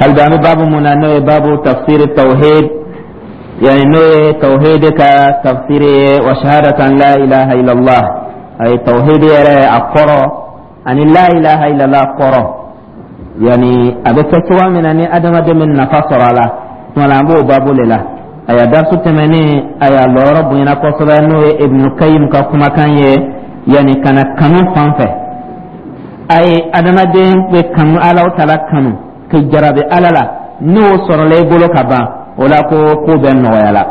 Hali bi, an bɛ baabu mun na, n'o ye baabu tafsiri tawhid, yani n'o ye tawhid ka tafsiri ye, wa shahadatan la ilaha illallah. Ayi, tawhid yɛrɛ a kɔrɔ ani la ilaha illallah kɔrɔ, yani a bɛ kɛ cogoya min na ni adamaden bɛ nafa sɔrɔ a la. Tuma la, an b'o baabu de la. Aya, darisu tɛmɛnen, aya, lɔyɔrɔ bonyana kosɛbɛ, n'o ye Ibnu Kayim ka kumakan ye, yani ka na kanu fan fɛ. Ayi, adamaden bɛ kanu, Alaw tala kanu ka jarabi Ala la, n'o sɔrɔla i bolo ka ban, o la ko ko bɛɛ nɔgɔya la.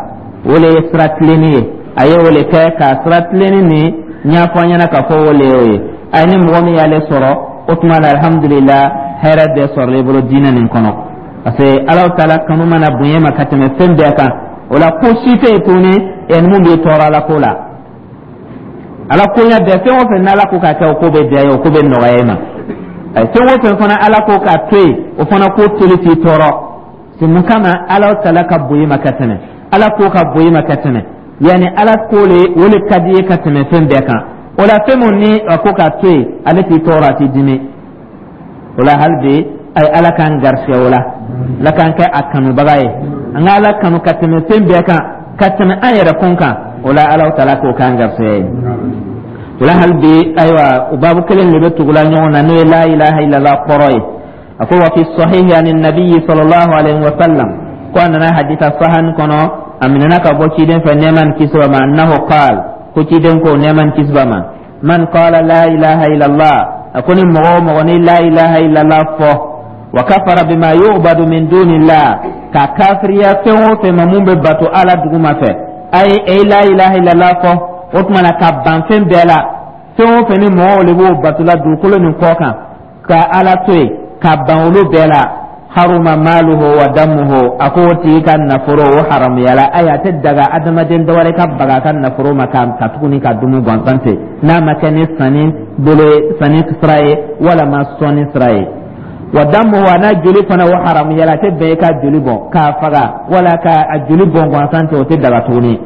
O le ye sira tilenni ye. A ye o le kɛ ka sira tilenni nin ɲɛfɔ an ɲɛna k'a fɔ o le y'o ye. A ye ni mɔgɔ min y'ale sɔrɔ, o tuma la, alhamdulillah, hɛrɛ bɛɛ sɔrɔla i bolo diinɛ nin kɔnɔ, parce que Alaw taala kanu mana bonya ma ka tɛmɛ fɛn bɛɛ kan, o la ko si tɛ yen tuguni ɛ mun b'i tɔɔrɔ Ala ko la. Ala koɲɛ bɛɛ, fɛn o fɛn n'Ala ko k'a kɛ, o ko bɛ diya ye, o ko bɛ nɔgɔya i ma. Fɛn o fɛn fana Ala ko k'a to yen, o fana ko toli t'i tɔɔrɔ. C'est mun kama? Ala tala ka bonya ma ka tɛmɛ, Ala ko ka bonya ma ka tɛmɛ, yanni Ala ko le, o le ka di ye ka tɛmɛ fɛn bɛɛ kan. O la, fɛn mun ni a ko k'a to yen, ale t'i tɔɔrɔ, a t'i dimi. O la, hali bi, a ye Ala k'an garisɛgɛ o la, Ala k'an kɛ a kanubaga ye, an ka Ala kanu ka tɛmɛ fɛn bɛɛ kan, ka tɛmɛ an yɛrɛ kun kan. O la, Ala taala k'o k'an garisɛgɛ ye. O la, hali bi, ayiwa, o baabu kelen de bɛ tugula ɲɔgɔn na, n'o ye la ilaha illallah kɔrɔ ye. A ko: wa fi sahihi ani nabiyyi sallallahu alaihi wa sallam, ko a nana hadisa sahan kɔnɔ, a minɛna ka bɔ ciden fɛ, nɛɛma ni kisi b'a ma, annahu qaal, ko ciden ko, nɛɛma ni kisi b'a ma: man qala la ilaha illallah, a ko ni mɔgɔ o mɔgɔ ni la ilaha illallah fɔ, wa kafara bima yu'badu min dunillah, ka kafiriya fɛn o fɛn ma mun bɛ bato Ala duguma fɛ. Ayi, e la ilaha illallah fɔ, o tuma na ka ban fɛn bɛɛ la, fɛn o fɛn ni mɔgɔw de b'o bato la dugukolo nin kɔ kan, ka Ala to yen, ka ban olu bɛɛ la, haruma maluhu wa damuhu, a ko o tigi ka nafolo, o haramuyala. Ayi, a tɛ daga adamaden dɔ wɛrɛ ka baga a ka nafolo ma ka tuguni ka dumu gansan ten, n'a ma kɛ ni sanni bolo ye, sanni sira ye walama sɔnni sira ye. Wa damuhu, a n'a joli fana, o haramuyala. A tɛ bɛn i ka joli bɔn k'a faga wala ka a joli bɔn gansan ten, o tɛ daga tuguni.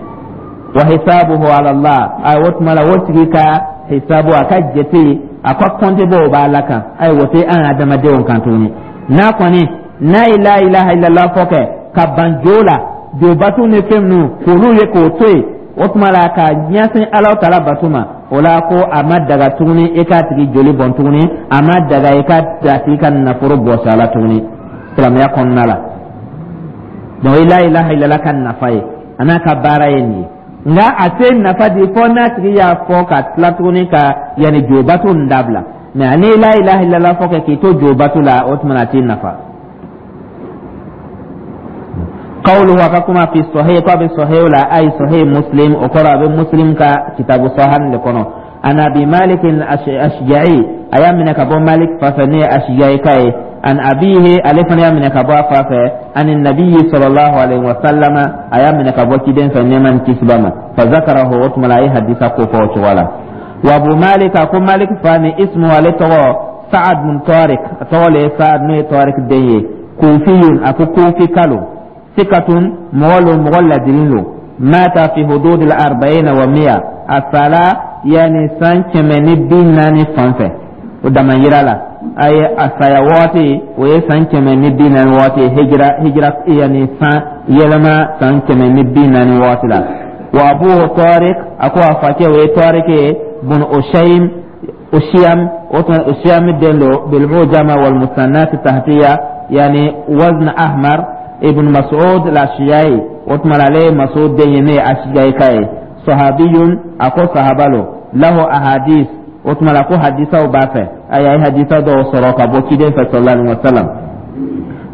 Wa hisabuhu ala Allah, ayi, o tuma la, o tigi ka hisabu, a ka jate, a ka kɔnte bɔ, o b'Ala kan. Ayi, o tɛ an adamadenw kan tuguni. N'a kɔni n'a ye la ilaha illallah fɔ kɛ ka ban jo la, jobatu ni fɛn minnu k'olu ye k'o to yen, o tuma la ka ɲɛsin Ala tala bato ma, o la ko a ma daga tuguni i k'a tigi joli bɔn tuguni, a ma daga i ka a tigi ka nafolo bɔsi a la tuguni silamɛya kɔnɔna la. Donc la ilaha illallah ka nafa ye, a n'a ka baara ye nin ye. Nka a tɛ nafa di fɔ n'a tigi y'a fɔ ka tila tuguni ka yanni jobatu nin dabila. Mais ani la ilaha illallah fɔ kɛ k'i to jobatu la, o tuma na a t'i nafa. Qawluhu, a ka kuma, fi sahih, ko a bɛ sahih la, ay Sahih Muslim, o kɔrɔ a bɛ Muslim ka kitabu sahan de kɔnɔ. An Abi Malik al-Ashja'i, a y'a minɛ ka bɔ Malik fa fɛ, ne ye Ashja'i ka ye, an abihi, ale fana y'a minɛ ka bɔ a fa fɛ, ani nabiyyi sallallahu alaihi wa sallama, a y'a minɛ ka bɔ ciden fɛ, nɛɛma ni kisi b'a ma. Fa zakarahu, o tuma la a ye hadisa ko fɔ o cogo la. Wa Abu Malik, a ko Malik fa ni ismu, ale tɔgɔ Saad bin Tariq, a tɔgɔ le ye Saad, n'o ye Tariq den ye. Kufiyun, a ko kufi kalo, sikatun, mɔgɔ lo, mɔgɔ ladiri lo. Mata fi hudud al arba'ina wa miya, a sala yani san 140 fan fɛ, o dama yira la. A ye a saya waati, o ye san 140 waati, hijira yani san yɛlɛma san 140 waati la. Wa abuhu Tariq, a ko a facɛ, o ye Tariq ye, bun Ushaym, Ushiyam, o tuma Ushiyam den do, bil mujama wal musannat tahtiya, yani wazn ahmar, ibn Mas'ud al-Ashja'i, o tuma ale ye Mas'ud den ye, ne ye Ashja'i ka ye. Sahabiyun, a ko sahaba lo. Lahu ahadis, o tuma la ko hadisaw b'a fɛ. A ye hadisa dɔw sɔrɔ ka bɔ ciden fɛ sallallahu alaihi wa sallam.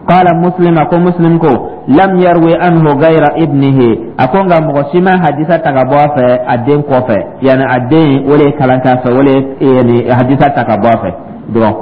Qala Muslim, a ko Muslim ko lam yarwi anhu ghayra ibnihi, a ko nka mɔgɔ si ma hadisa ta ka bɔ a fɛ a den kɔfɛ, yani a den o de ye kalan k'a fɛ, o de ye yani hadisa ta ka bɔ a fɛ dɔrɔn.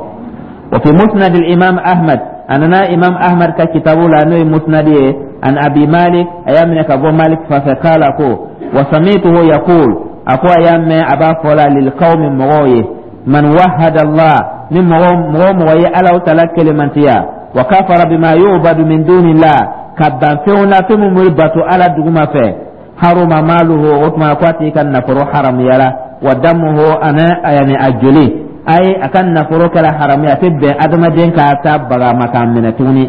Wa fi musnad al-imam Ahmad, a nana imam Ahmad ka kitabu la, n'o ye musnad ye, an Abi Malik, a y'a minɛ ka bɔ Malik fa fɛ, kala ko wa samituhu yaqul, a ko a y'a mɛn a b'a fɔ la lil qawmi, mɔgɔw ye: man wahada Allah, ni mɔgɔ mɔgɔ ye Ala tala kelemantiya, wa kafara bima yu'badu min dunillah, ka ban fɛnw la, fɛn min bɛ bato Ala duguma fɛ, haruma maluhu, o tuma ko a tigi ka nafolo haramuyala, wa damuhu, ana yani a joli. Ayi, a ka nafolo kɛra haramu ye, a tɛ bɛn adamaden ka taa baga ma k'a minɛ tuguni.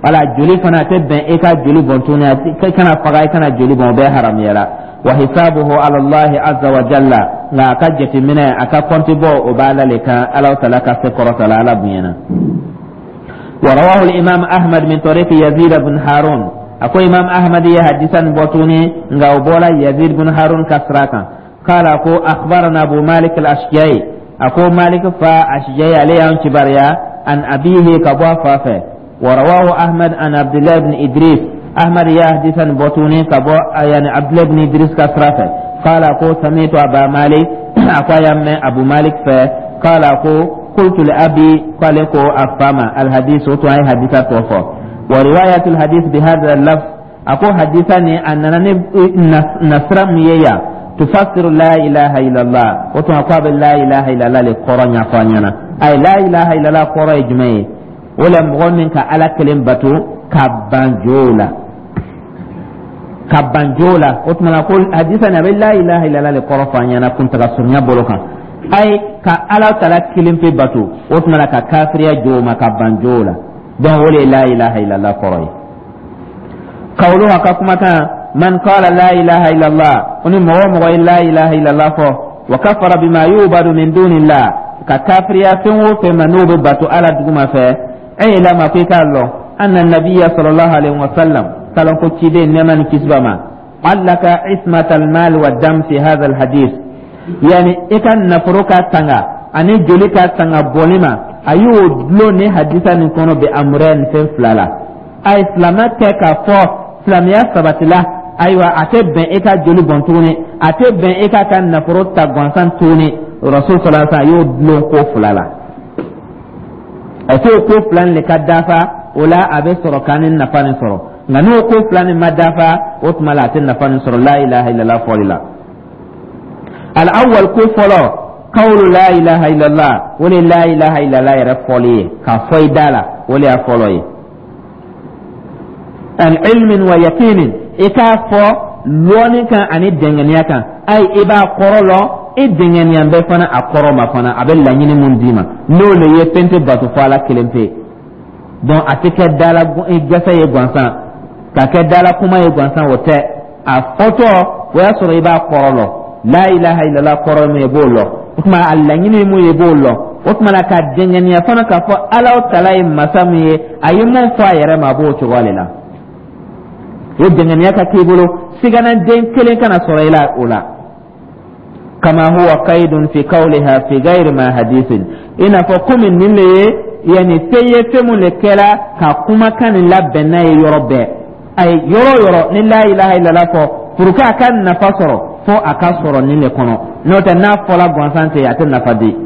Wala joli fana, a tɛ bɛn e ka joli bɔn tuguni, i kana faga, i kana joli bɔn, o bɛɛ haramuyara. Wa hisabuhu ala Allahi azza wa jalla, nka a ka jateminɛ, a ka kɔnti bɔ, o b'Ala le kan, Ala tala ka se kɔrɔta la, Ala bonyana. ورواه الإمام أحمد من طريق يزيد بن هارون. أكو إمام أحمد ye hadisa nin bɔ tuguni, nka o bɔla Yazid bin Harun ka sira kan. قال, أكو أخبرنا أبو مالك الأشجعي, أكو مالك fa أشجعي ale y'an kibaruya, عن أبيه, ka bɔ a fa fɛ. ورواه أحمد عن عبد الله بن إدريس. أحمد ye hadisa nin bɔ tuguni ka bɔ yani عبد الله بن إدريس ka sira fɛ. قال, أكو سمعت أبا مالك, أكو a y'a mɛn Abu Malik fɛ. قال, أكو قلت لأبي, قال ko a fa ma. الحديث, o tun a ye hadisa tɔ fɔ. ورواية الحديث بهذا اللفظ, أكو hadisa nin a nana ni nasira mun ye yan, تفسر لا إله إلا الله, o tuma ko a bɛ لا إله إلا الله le kɔrɔ ɲɛfɔ an ɲɛna. Ayi, لا إله إلا الله kɔrɔ ye jumɛn ye? O la, mɔgɔ min ka Ala kelen bato ka ban jow la, ka ban jow la. O tuma na ko hadisa nin, a bɛ لا إله إلا الله le kɔrɔ fɔ an ɲɛna kuntaga surunya bolo kan. Ayi, ka Ala tala kelen pe bato, o tuma na ka kafiriya jow ma, ka ban jow la. Donc o de ye لا إله إلا الله kɔrɔ ye. قوله, a ka kumakan, من قال لا إله إلا الله, o ni mɔgɔ o mɔgɔ ye لا إله إلا الله fɔ, وكفر بما يعبد من دون الله, ka kafiriya fɛn o fɛn ma n'o bɛ bato Ala duguma fɛ. اعلم, ko i k'a lɔn, أن النبي صلى الله عليه وسلم, kalan ko ciden, nɛɛma ni kisi b'a ma, علق عصمة المال والدم في هذا الحديث, yani i ka nafolo ka tanga ani joli ka tanga bɔli ma, a y'o dulon ni hadisa nin kɔnɔ, بأمرين, fɛn fila la. A ye silamɛ kɛ k'a fɔ silamɛya sabatila, ayiwa, a tɛ bɛn e ka joli bɔn tuguni, a tɛ bɛn e k'a ka nafolo ta gansan tuguni. Rasul صلى الله عليه, a y'o dulon ko fila la. A t'o ko fila nin de ka dafa, o la a bɛ sɔrɔ k'an ni nafa nin sɔrɔ. Nka n'o ko fila nin ma dafa, o tuma la a tɛ nafa nin sɔrɔ لا إله إلا الله fɔli la. الأول, ko fɔlɔ, قول لا إله إلا الله, o de لا إله إلا الله yɛrɛ fɔli ye, k'a fɔ i da la, o de y'a fɔlɔ ye. عن علم ويقين, i k'a fɔ lɔɔni kan ani dɛngɛniya kan. Ayi, i b'a kɔrɔ lɔn, i dɛngɛniya bɛ fana a kɔrɔ ma fana, a bɛ laɲini mun d'i ma, n'o le ye fɛn tɛ bato fɔ Ala kelen pe. Donc a tɛ kɛ dala gɛsɛ ye gansan, ka kɛ dala kuma ye gansan, o tɛ. A fɔtɔ, o y'a sɔrɔ i b'a kɔrɔ lɔn. لا إله إلا الله kɔrɔ ye mun ye, i b'o lɔn. O tuma a laɲini ye mun ye, i b'o lɔn. O tuma na ka dɛngɛniya fana k'a fɔ Ala tala ye masa min ye, a ye mun fɔ a yɛrɛ ma, a b'o cogoya de la. O dɛngɛniya ka k'i bolo, siganaden kelen kana sɔrɔ i la o la. كما هو قيد في قولها في غير ما حديث, i n'a fɔ komi nin le ye, yani fɛn ye, fɛn mun le kɛra ka kumakan nin labɛn n'a ye yɔrɔ bɛɛ. Ayi, yɔrɔ o yɔrɔ ni لا إله إلا الله fɔ, pour que a ka nafa sɔrɔ, fo a ka sɔrɔ nin de kɔnɔ. N'o tɛ, n'a fɔla gansan tɛ, a tɛ nafa di.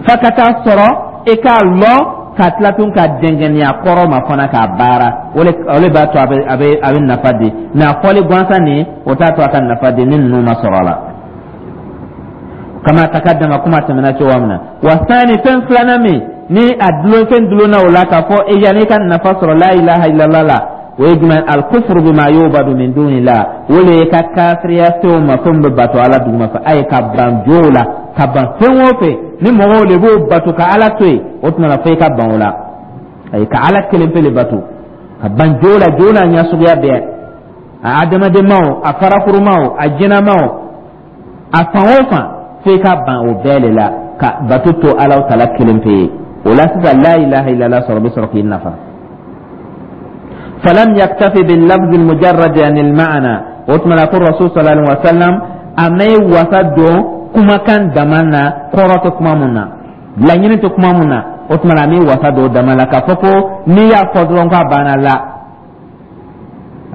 F'a ka taa sɔrɔ i k'a lɔn, ka tila tun ka dɛngɛniya kɔrɔ ma fana k'a baara, o le b'a to a bɛ nafa di. Mɛ a fɔli gansan nin, o t'a to a ka nafa di ni ninnu ma sɔrɔ a la. كما تقدم, kuma tɛmɛna cogoya min na. والثاني, fɛn filanan min ni a dulon, fɛn dulonna o la k'a fɔ e yanni i ka nafa sɔrɔ لا إله إلا الله la, o ye jumɛn? الكفر بما يعبد من دون الله, o le ye ka kafiriya fɛnw ma, fɛn bɛ bato Ala duguma fɛ. A ye ka ban jow la, ka ban fɛn o fɛn ni mɔgɔw de b'o bato ka Ala to yen, o tuma na fo i ka ban o la. Ayi, ka Ala kelen pe le bato, ka ban jow la, jow n'a ɲɛ suguya bɛɛ, a adamadenmaw, a farakurumaw, a jinɛmaw, a fan o fan, fo i ka ban o bɛɛ de la ka bato to Ala tala kelen pe ye. O la sisan, لا إله إلا الله sɔrɔ bɛ sɔrɔ k'i nafa. فلم يكتفي باللفظ المجرد عن المعنى. O tuma na ko Rasul صلى الله عليه وسلم a ma wasa don kumakan dama na, kɔrɔ tɛ kuma mun na, laɲini tɛ kuma mun na. O tuma na a m'i wasa don dama la k'a fɔ ko n'i y'a fɔ dɔrɔn k'a banna la.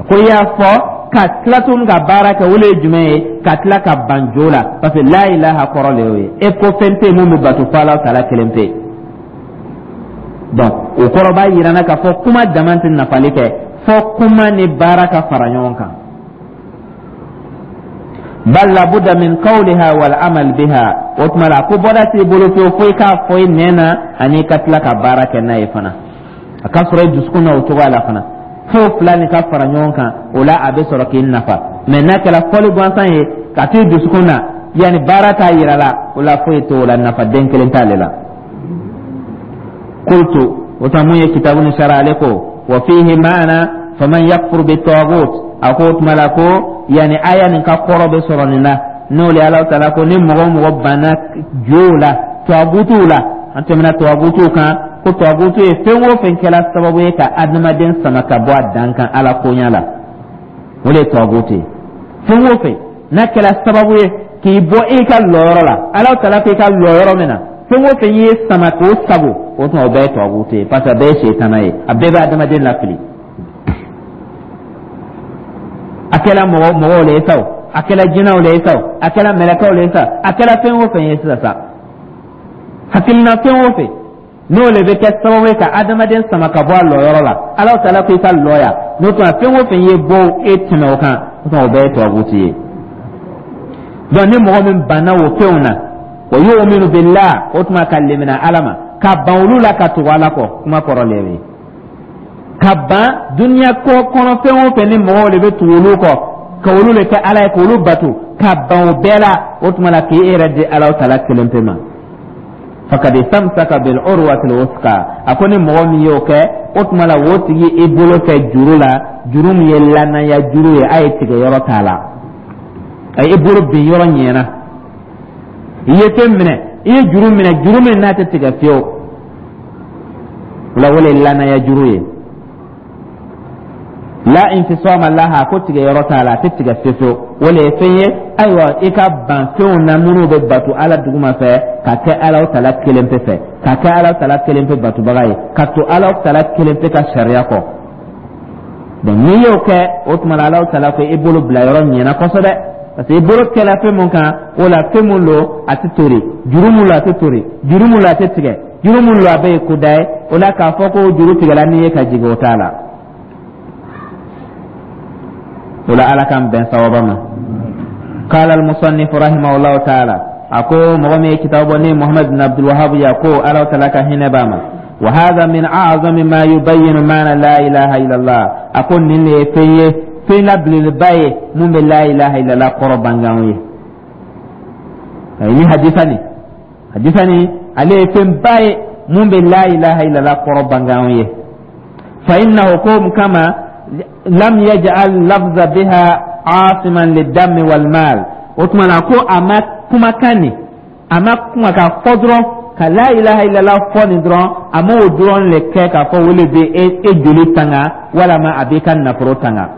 Ko i y'a fɔ ka tila tuguni ka baara kɛ, o le ye jumɛn ye? Ka tila ka ban jo la, parce que لا إله kɔrɔ le y'o ye, e ko fɛn tɛ yen mun bɛ bato fo Ala tala kelen pe. Donc o kɔrɔ b'a yira n na k'a fɔ kuma dama tɛ nafali kɛ, fɔ kuma ni baara ka fara ɲɔgɔn kan. بل لابد من قولها والعمل بها. O tuma la ko bɔda t'i bolo fiyewu fo i k'a fɔ i nɛn na ani i ka tila ka baara kɛ n'a ye fana, a ka sɔrɔ i dusukun na o cogoya la fana. Fo fila nin ka fara ɲɔgɔn kan, o la a bɛ sɔrɔ k'i nafa. Mɛ n'a kɛra fɔli gansan ye ka t'i dusukun na Yanni baara t'a yira la, o la foyi t'o la, nafa den kelen t'ale la. Qultu, o tuma mun ye kitabu ni sara, ale ko wa fihi maana faman yakfur bi tagut. A ko o tuma la ko yanni aya nin ka kɔrɔ bɛ sɔrɔ nin na, n'o le Ala taala ko ni mɔgɔ o mɔgɔ banna jow la, tagutuw la. An tɛmɛna tagutuw kan ko tagutu ye fɛn o fɛn kɛla sababu ye ka adamaden sama ka bɔ a dan kan Ala koɲa la, o de ye tagutu ye. Fɛn o fɛn n'a kɛla sababu ye k'i bɔ i ka lɔyɔrɔ la, Ala taala k'i ka lɔyɔrɔ min na, fɛn o fɛn y'i sama k'o sago, o tuma o bɛɛ ye tagutu ye, parce que a bɛɛ ye setana ye, a bɛɛ bɛ adamaden lafili. A kɛla mɔgɔ mɔgɔw le ye sa o, a kɛla jinɛw le ye sa o, a kɛla mɛlɛkɛw le ye sa, a kɛla fɛn o fɛn ye sisan sa, hakilina fɛn o fɛn n'o le bɛ kɛ sababu ye ka adamaden sama ka bɔ a lɔyɔrɔ la, Ala taala ko i ka lɔ yan, n'o tuma fɛn o fɛn ye bɔ e tɛmɛ o kan, o tuma o bɛɛ ye tagutu ye. Donc ni mɔgɔ min banna o fɛnw na, wa yu'minu billah, o tuma ka limina Ala ma, ka ban olu la ka tugu Ala kɔ, kuma kɔrɔ le ye ka ban duniya ko kɔnɔ fɛn o fɛn ni mɔgɔw de bɛ tugu olu kɔ, ka olu de kɛ Ala ye, k'olu bato, ka ban o bɛɛ la, o tuma la k'i yɛrɛ di Ala taala kelen pe ma. Fakad istamsaka bil urwatil wuthqa. A ko ni mɔgɔ min y'o kɛ, o tuma la o tigi i bolo kɛ juru la, juru min ye lanaya juru ye, a ye tigɛ yɔrɔ t'a la, a ye i bolo bin yɔrɔ ɲɛna, i ye fɛn minɛ, i ye juru minɛ, juru min n'a tɛ tigɛ fiyewu, o la o le ye lanaya juru ye. La infisama laha, ko tigɛ yɔrɔ t'a la, a tɛ tigɛ fiyewu fiyewu. O le ye fɛn ye, ayiwa, i ka ban fɛnw na minnu bɛ bato Ala duguma fɛ, ka kɛ Ala tala kelen pe fɛ, ka kɛ Ala tala kelen pe batobaga ye, ka to Ala tala kelen pe ka sariya kɔ. Donc n'i y'o kɛ, o tuma la Ala tala ko i bolo bila yɔrɔ ɲɛna kosɛbɛ, parce que i bolo kɛla fɛn mun kan, o la fɛn mun don, a tɛ tori, juru mun don, a tɛ tori, juru mun don, a tɛ tigɛ, juru mun don, a bɛɛ ye koda ye. O la k'a fɔ ko juru tigɛla n'i ye ka jigin, o t'a la. O la Ala k'an bɛn sawaba ma. Qala al-musannif rahimahullahu ta'ala, a ko mɔgɔ min ye kitabu bɔ ni Muhammad bin Abdul Wahhab ya, ko Ala ta'ala ka hinɛ b'a ma, wa hadha min a'zami ma yubayyinu ma'na la ilaha illallah. A ko nin de ye fɛn ye, fɛn la belebeleba ye mun bɛ la ilaha illallah kɔrɔ bange an ye. Ayi, ni hadisa nin, hadisa nin ale ye fɛnba ye mun bɛ la ilaha illallah kɔrɔ bange an ye. Fa innahu, ko mun kama, lam yaj'al lafza biha asiman lidami wal mal. O tuma na ko a ma kumakan nin, a ma kuma k'a fɔ dɔrɔn, ka la ilaha illallah fɔ nin dɔrɔn, a m'o dɔrɔn le kɛ k'a fɔ o le bɛ e joli tanga walama a b'i ka nafolo tanga.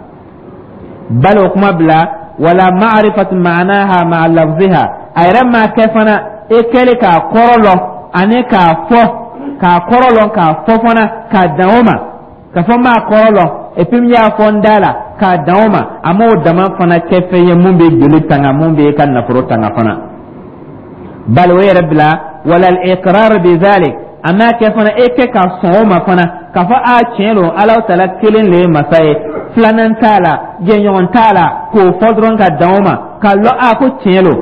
Bali, o kuma bila, wala ma'rifatu ma'naha ma'a lafziha, a yɛrɛ ma kɛ fana e kɛlen k'a kɔrɔ lɔn ani k'a fɔ, k'a kɔrɔ lɔn k'a fɔ fana k'a dan o ma, k'a fɔ n b'a kɔrɔ lɔn et puis n y'a fɔ n da la k'a dan o ma, a m'o dama fana kɛ fɛn ye mun bɛ joli tanga, mun bɛ ka nafolo tanga fana. Bali, o yɛrɛ bila, wala al-iqrar bi zalik, a m'a kɛ fana e kɛ ka sɔn o ma fana k'a fɔ a tiɲɛ don, Ala taala kelen le ye masa ye, filanan t'a la, jɛɲɔgɔn t'a la, k'o fɔ dɔrɔn ka dan o ma, k'a lɔn a ko tiɲɛ don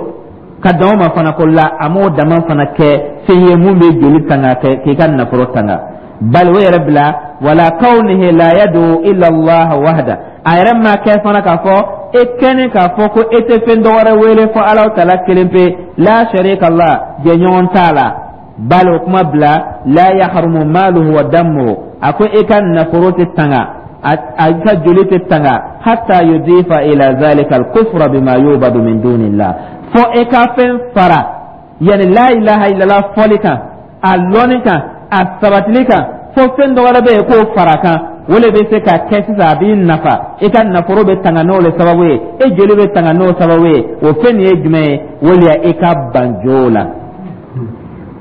ka dan o ma fana, ko la, a m'o dama fana kɛ fɛn ye mun bɛ joli tanga kɛ k'i ka nafolo tanga. Bali, o yɛrɛ bila, wala kawnihi la yad'u illa Allah wahda, a yɛrɛ ma kɛ fana k'a fɔ e kɛni k'a fɔ ko e tɛ fɛn dɔwɛrɛ wele fɔ Ala taala kelen pe, la sharika la, jɛɲɔgɔn t'a la. Bali, o kuma bila, la yahrumu maluhu wa damuhu, a ko e ka nafolo tɛ tanga, a ka joli tɛ tanga, hatta yudifa ila zalika al-kufra bima yubadu min dunillah, fɔ e ka fɛn fara yani la ilaha illallah fɔli kan, a lɔnni kan, a sabatili kan, fo fɛn dɔ wɛrɛ bɛ yen k'o fara kan, o le bɛ se ka kɛ sisan a b'i nafa, i ka nafolo bɛ tanga n'o le sababu ye, e joli bɛ tanga n'o sababu ye. O fɛn nin ye jumɛn ye? O le ye i ka ban jo la,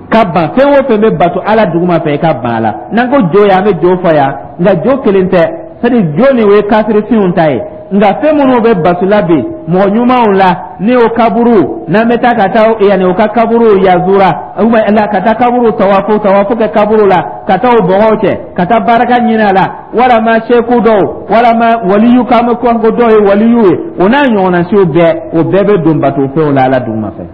ka ban fɛn o fɛn bɛ bato Ala duguma fɛ, i ka ban a la. N'an ko jo yan, an bɛ jo fɔ yan, nka jo kelen tɛ, c'est à dire jo nin o ye kafirifinw ta ye, nka fɛn minnu bɛ bato la bi mɔgɔ ɲumanw la, ni o kaburu n'an bɛ taa ka taa yanni o ka kaburu yazura la, ka taa kaburu tawafu, tawafu kɛ kaburu la, ka taa o bɔgɔw cɛ, ka taa baraka ɲini a la, walama seku dɔw, walama waliyu, k'an bɛ ko dɔw ye waliyu ye, o n'a ɲɔgɔnna siw bɛɛ, o bɛɛ bɛ don bato fɛnw la Ala duguma fɛ.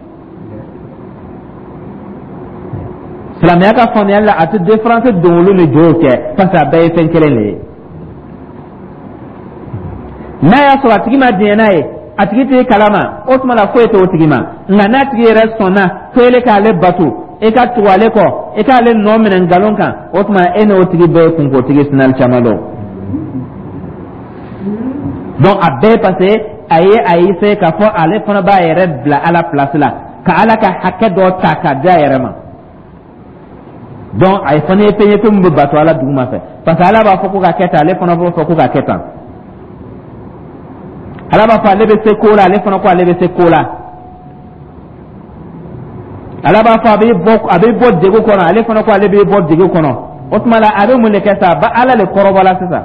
Silamɛya ka faamuyali la, a tɛ différence don olu ni jow cɛ, parce que a bɛɛ ye fɛn kelen de ye. N'a y'a sɔrɔ a tigi ma diɲɛ n'a ye A tigi t'i kalama, o tuma la foyi t'o tigi ma. Nka n'a tigi yɛrɛ sɔnna ko ele k'ale bato, e ka tugu ale kɔ, e k'ale nɔ minɛ nkalon kan, o tuma e n'o tigi bɛɛ ye kunkotigi sinali caman dɔn. Donc a bɛɛ, parce que a ye a essayer k'a fɔ ale fana b'a yɛrɛ bila Ala place la, ka Ala ka hakɛ dɔ ta k'a di a yɛrɛ ma. Donc a ye fana ye fɛn ye, fɛn min bɛ bato Ala duguma fɛ, parce que Ala b'a fɔ ko ka kɛ tan, ale fana b'o fɔ ko ka kɛ tan. Ala b'a fɔ ale bɛ se ko la, ale fana ko ale bɛ se ko la. Ala b'a fɔ a bɛ bɔ degun kɔnɔ, ale fana ko ale bɛ bɔ degun kɔnɔ. O tuma la, a bɛ mun de kɛ sa? A ba Ala le kɔrɔbɔla sisan,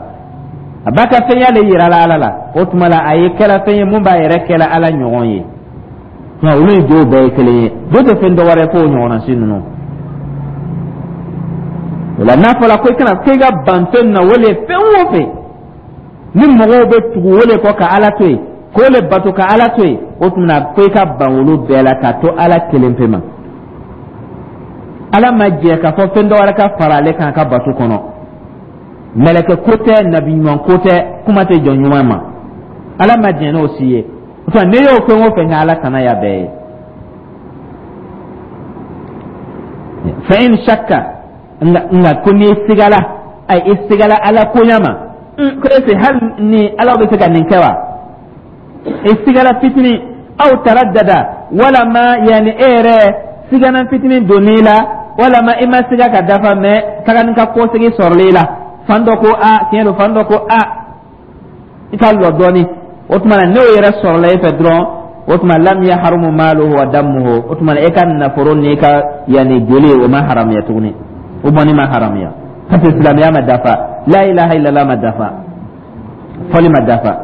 a b'a ka fɛnya le yira la Ala la. O tuma la, a ye kɛla fɛn ye mun b'a yɛrɛ kɛla Ala ɲɔgɔn ye. Nka olu ni jow bɛɛ ye kelen ye, jo tɛ fɛn dɔ wɛrɛ f'o ɲɔgɔnna si ninnu. O la, n'a fɔra ko i kana ko i ka ban fɛn na, o le fɛn o fɛn ni mɔgɔw bɛ tugu o le kɔ ka Ala to yen, k'o le bato ka Ala to yen, o tuma na ko i ka ban olu bɛɛ la ka to Ala kelen pe ma. Ala ma jɛ k'a fɔ fɛn dɔ wɛrɛ ka fara ale kan a ka bato kɔnɔ. Mɛlɛkɛ ko tɛ, nabi ɲuman ko tɛ, kuma tɛ jɔn ɲuman ma. Ala ma jɛn n'o si ye. O tuma, n'i y'o fɛn o fɛn kɛ, Ala tana y'a bɛɛ ye. Fa in shakka, nka ko n'i sigala, ayi, i sigala Ala koɲa ma, ko est ce hali ni Ala bɛ se ka nin kɛ wa? I sigala fitinin, aw taraddada, walama yanni e yɛrɛ sigana fitinin donn'i la, walama i ma siga ka dafa, mɛ taga ni ka kɔsegi sɔrɔla i la. Fan dɔ ko a tiɲɛ don, fan dɔ ko a i ka lɔ dɔɔni. O tuma na, n'o yɛrɛ sɔrɔla e fɛ dɔrɔn, o tuma lam yahrumu maluhu wa damuhu, o tuma na e ka nafolo n'i ka yanni joli, o ma haramuya tuguni, o bɔnni ma haramuya, parce que silamɛya ma dafa, la ilaha illallah ma dafa, fɔli ma dafa.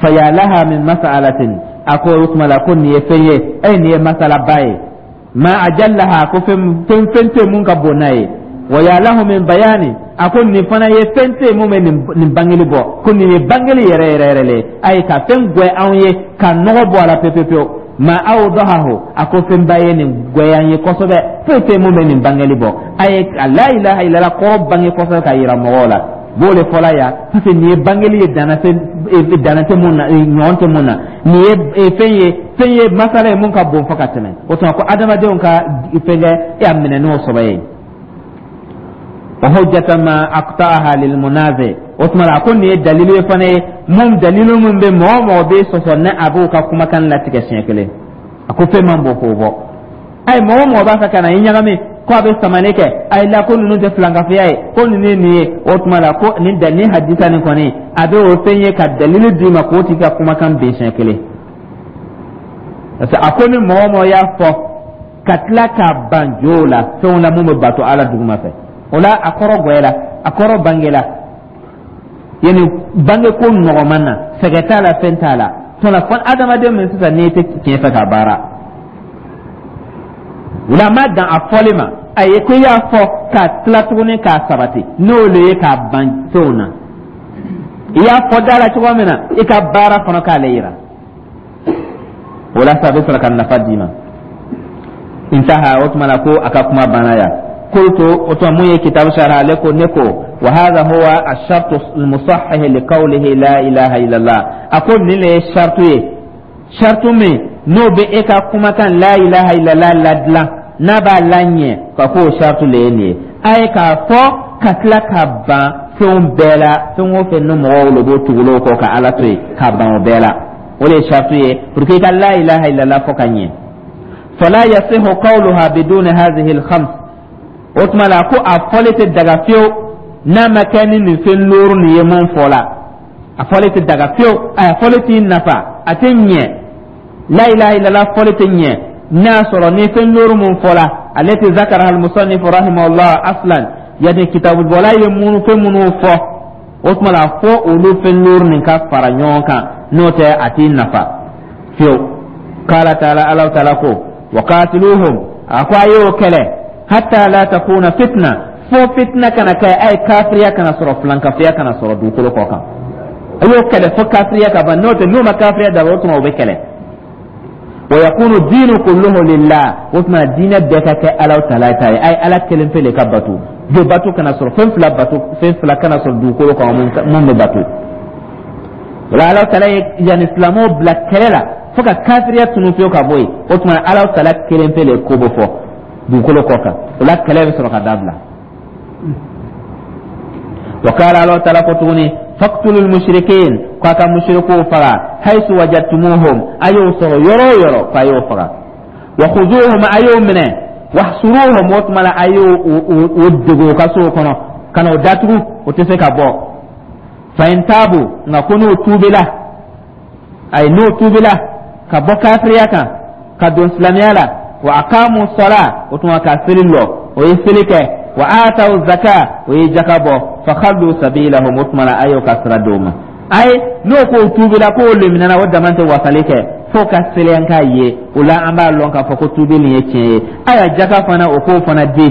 Fa ya laha min mas'alatin, a ko o tuma la ko nin ye fɛn ye, e nin ye masalaba ye. Ma ajallaha, ko fɛn fɛn fɛn tɛ mun ka bon n'a ye. Wa ya lahu min bayani, a ko nin fana ye fɛn tɛ mun bɛ nin bangeli bɔ, ko nin ye bangeli yɛrɛ yɛrɛ yɛrɛ le ayi, ka fɛn gwɛ anw ye, ka nɔgɔ bɔ a la pewu pewu. Ma awdahahu, a ko fɛnba ye nin gwɛya ye kosɛbɛ, foyi tɛ mun bɛ nin bangeli bɔ. A ye a la ilaha illallah kɔrɔ bange kosɛbɛ ka yira mɔgɔw la, b'o de fɔla yan, parce que nin ye bangeli ye, dana tɛ dana tɛ mun na, ɲɔgɔn tɛ mun na. Nin ye fɛn ye, fɛn ye masala ye mun ka bon fo ka tɛmɛ. O tuma ko adamadenw ka fɛn kɛ, e y'a minɛ n'o sɔbɛ ye. Wa hujjatan ma aqta'aha lil munazi, o tuma la a ko nin ye dalilu ye fana ye mun, dalilu min bɛ mɔgɔ o mɔgɔ bɛ sɔsɔ, ne a b'o ka kumakan latigɛ siɲɛ kelen. A ko fɛn man bon k'o bɔ. Ayi, mɔgɔ o mɔgɔ b'a fɛ ka na i ɲagami ko a bɛ samani kɛ, ayi la, ko ninnu tɛ filankafoya ye, ko ninnu ye nin ye, o tuma la ko nin da nin hadisa nin kɔni, a bɛ o fɛn ye ka dalilu d'i ma k'o tigi ka kumakan bin siɲɛ kelen, parce que a ko ni mɔgɔ o mɔgɔ y'a fɔ ka tila k'a ban jow la, fɛnw la mun bɛ bato Ala duguma fɛ, o la a kɔrɔ gwɛla, a kɔrɔ bangela, yani bange ko nɔgɔman na, sɛgɛ t'a la, fɛn t'a la. Tɔla fɔ adamaden min sisan n'i tɛ tiɲɛ fɛ ka baara o la, a ma dan a fɔli ma, a ye ko i y'a fɔ ka tila tuguni k'a sabati, n'o le ye k'a ban fɛnw na. I y'a fɔ da la cogo min na, i ka baara fana k'ale yira o la sa, a bɛ sɔrɔ ka nafa d'i ma. Intaha, o tuma na ko a ka kuma banna yan. Qultu, o tuma mun ye kitabu sharh, ale ko ne ko wa hadha huwa ash-shartu al-musahhih li qawlihi la ilaha illallah. A ko nin le ye shartu ye, shartu min n'o bɛ e ka kumakan la ilaha illallah ladilan, n'a b'a laɲɛ, ka ko o shartu le ye nin ye. A ye k'a fɔ ka tila ka ban fɛnw bɛɛ la, fɛn o fɛn ni mɔgɔw le b'o tugulo kɔ ka Ala to yen, ka ban o bɛɛ la, o de ye shartu ye pour que i ka la ilaha illallah fɔ ka ɲɛ. Fala yasihu qawluha biduni hadhihi al-khams, o tuma la ko a fɔli tɛ daga fiyewu n'a ma kɛ ni nin fɛn looru nin ye mun fɔ la. A fɔli tɛ daga fiyewu, a fɔli t'i nafa, a tɛ ɲɛ. La ilaha illallah fɔli tɛ ɲɛ n'a sɔrɔ ni fɛn looru mun fɔla allati zakaraha al-musannif rahimahullah aslan, yani kitabubɔla ye minnu fɛn minnu fɔ, o tuma la fo olu fɛn looru nin ka fara ɲɔgɔn kan, n'o tɛ a t'i nafa fiyewu. Qala taala, Ala taala ko wa qatiluhum, a ko a y'o kɛlɛ, hatta la takuna fitna, fo fitna kana kɛ, a ye kafiriya kana sɔrɔ, filankafiya kana sɔrɔ dugukolo kɔ kan. A y'o kɛlɛ fo kafiriya ka ban, n'o tɛ n'o ma kafiriya dabila, o tuma o bɛ kɛlɛ. Wa yakunu diinu kulluhu lillah, o tuma diinɛ bɛɛ ka kɛ Ala taala ta ye. A ye Ala kelen pe le ka bato, jo bato kana sɔrɔ, fɛn fila bato, fɛn fila kana sɔrɔ dugukolo kan mun bɛ bato. O la, Ala taala ye yanni silamɛw bila kɛlɛ la fo ka kafiriya tunu pewu ka bɔ yen. O tuma, Ala taala kelen pe le ko bɛ fɔ dugukolo kɔ kan. O la, kɛlɛ bɛ sɔrɔ ka dabila. Wa qala, Ala taala ko tuguni: faqtulul mushrikin, k'a ka mushrikuw faga, haythu wajadtumuhum, a y'o sɔrɔ yɔrɔ o yɔrɔ, k'a y'o faga, wa khuzuhum, a y'o minɛ, wahsuruhum, o tuma la a y'o o dogo u ka sow kɔnɔ ka na o datugu, o tɛ se ka bɔ. Fa in tabu, nka ko n'o tuubila, ayi, n'o tuubila ka bɔ kafiriya kan ka don silamɛya la, wa aqamu sala, o tuma ka seli lɔ, o ye seli kɛ, wa ataw zaka, o ye jaka bɔ, fa khallu sabilahum, o tuma la a y'o ka sira d'o ma. Ayi, n'o ko tuubila k'o leminana, o dama tɛ wasali kɛ fo ka seli an k'a ye. O la, an b'a lɔn k'a fɔ ko tuubi nin ye tiɲɛ ye. Ayiwa, jaka fana, o k'o fana di,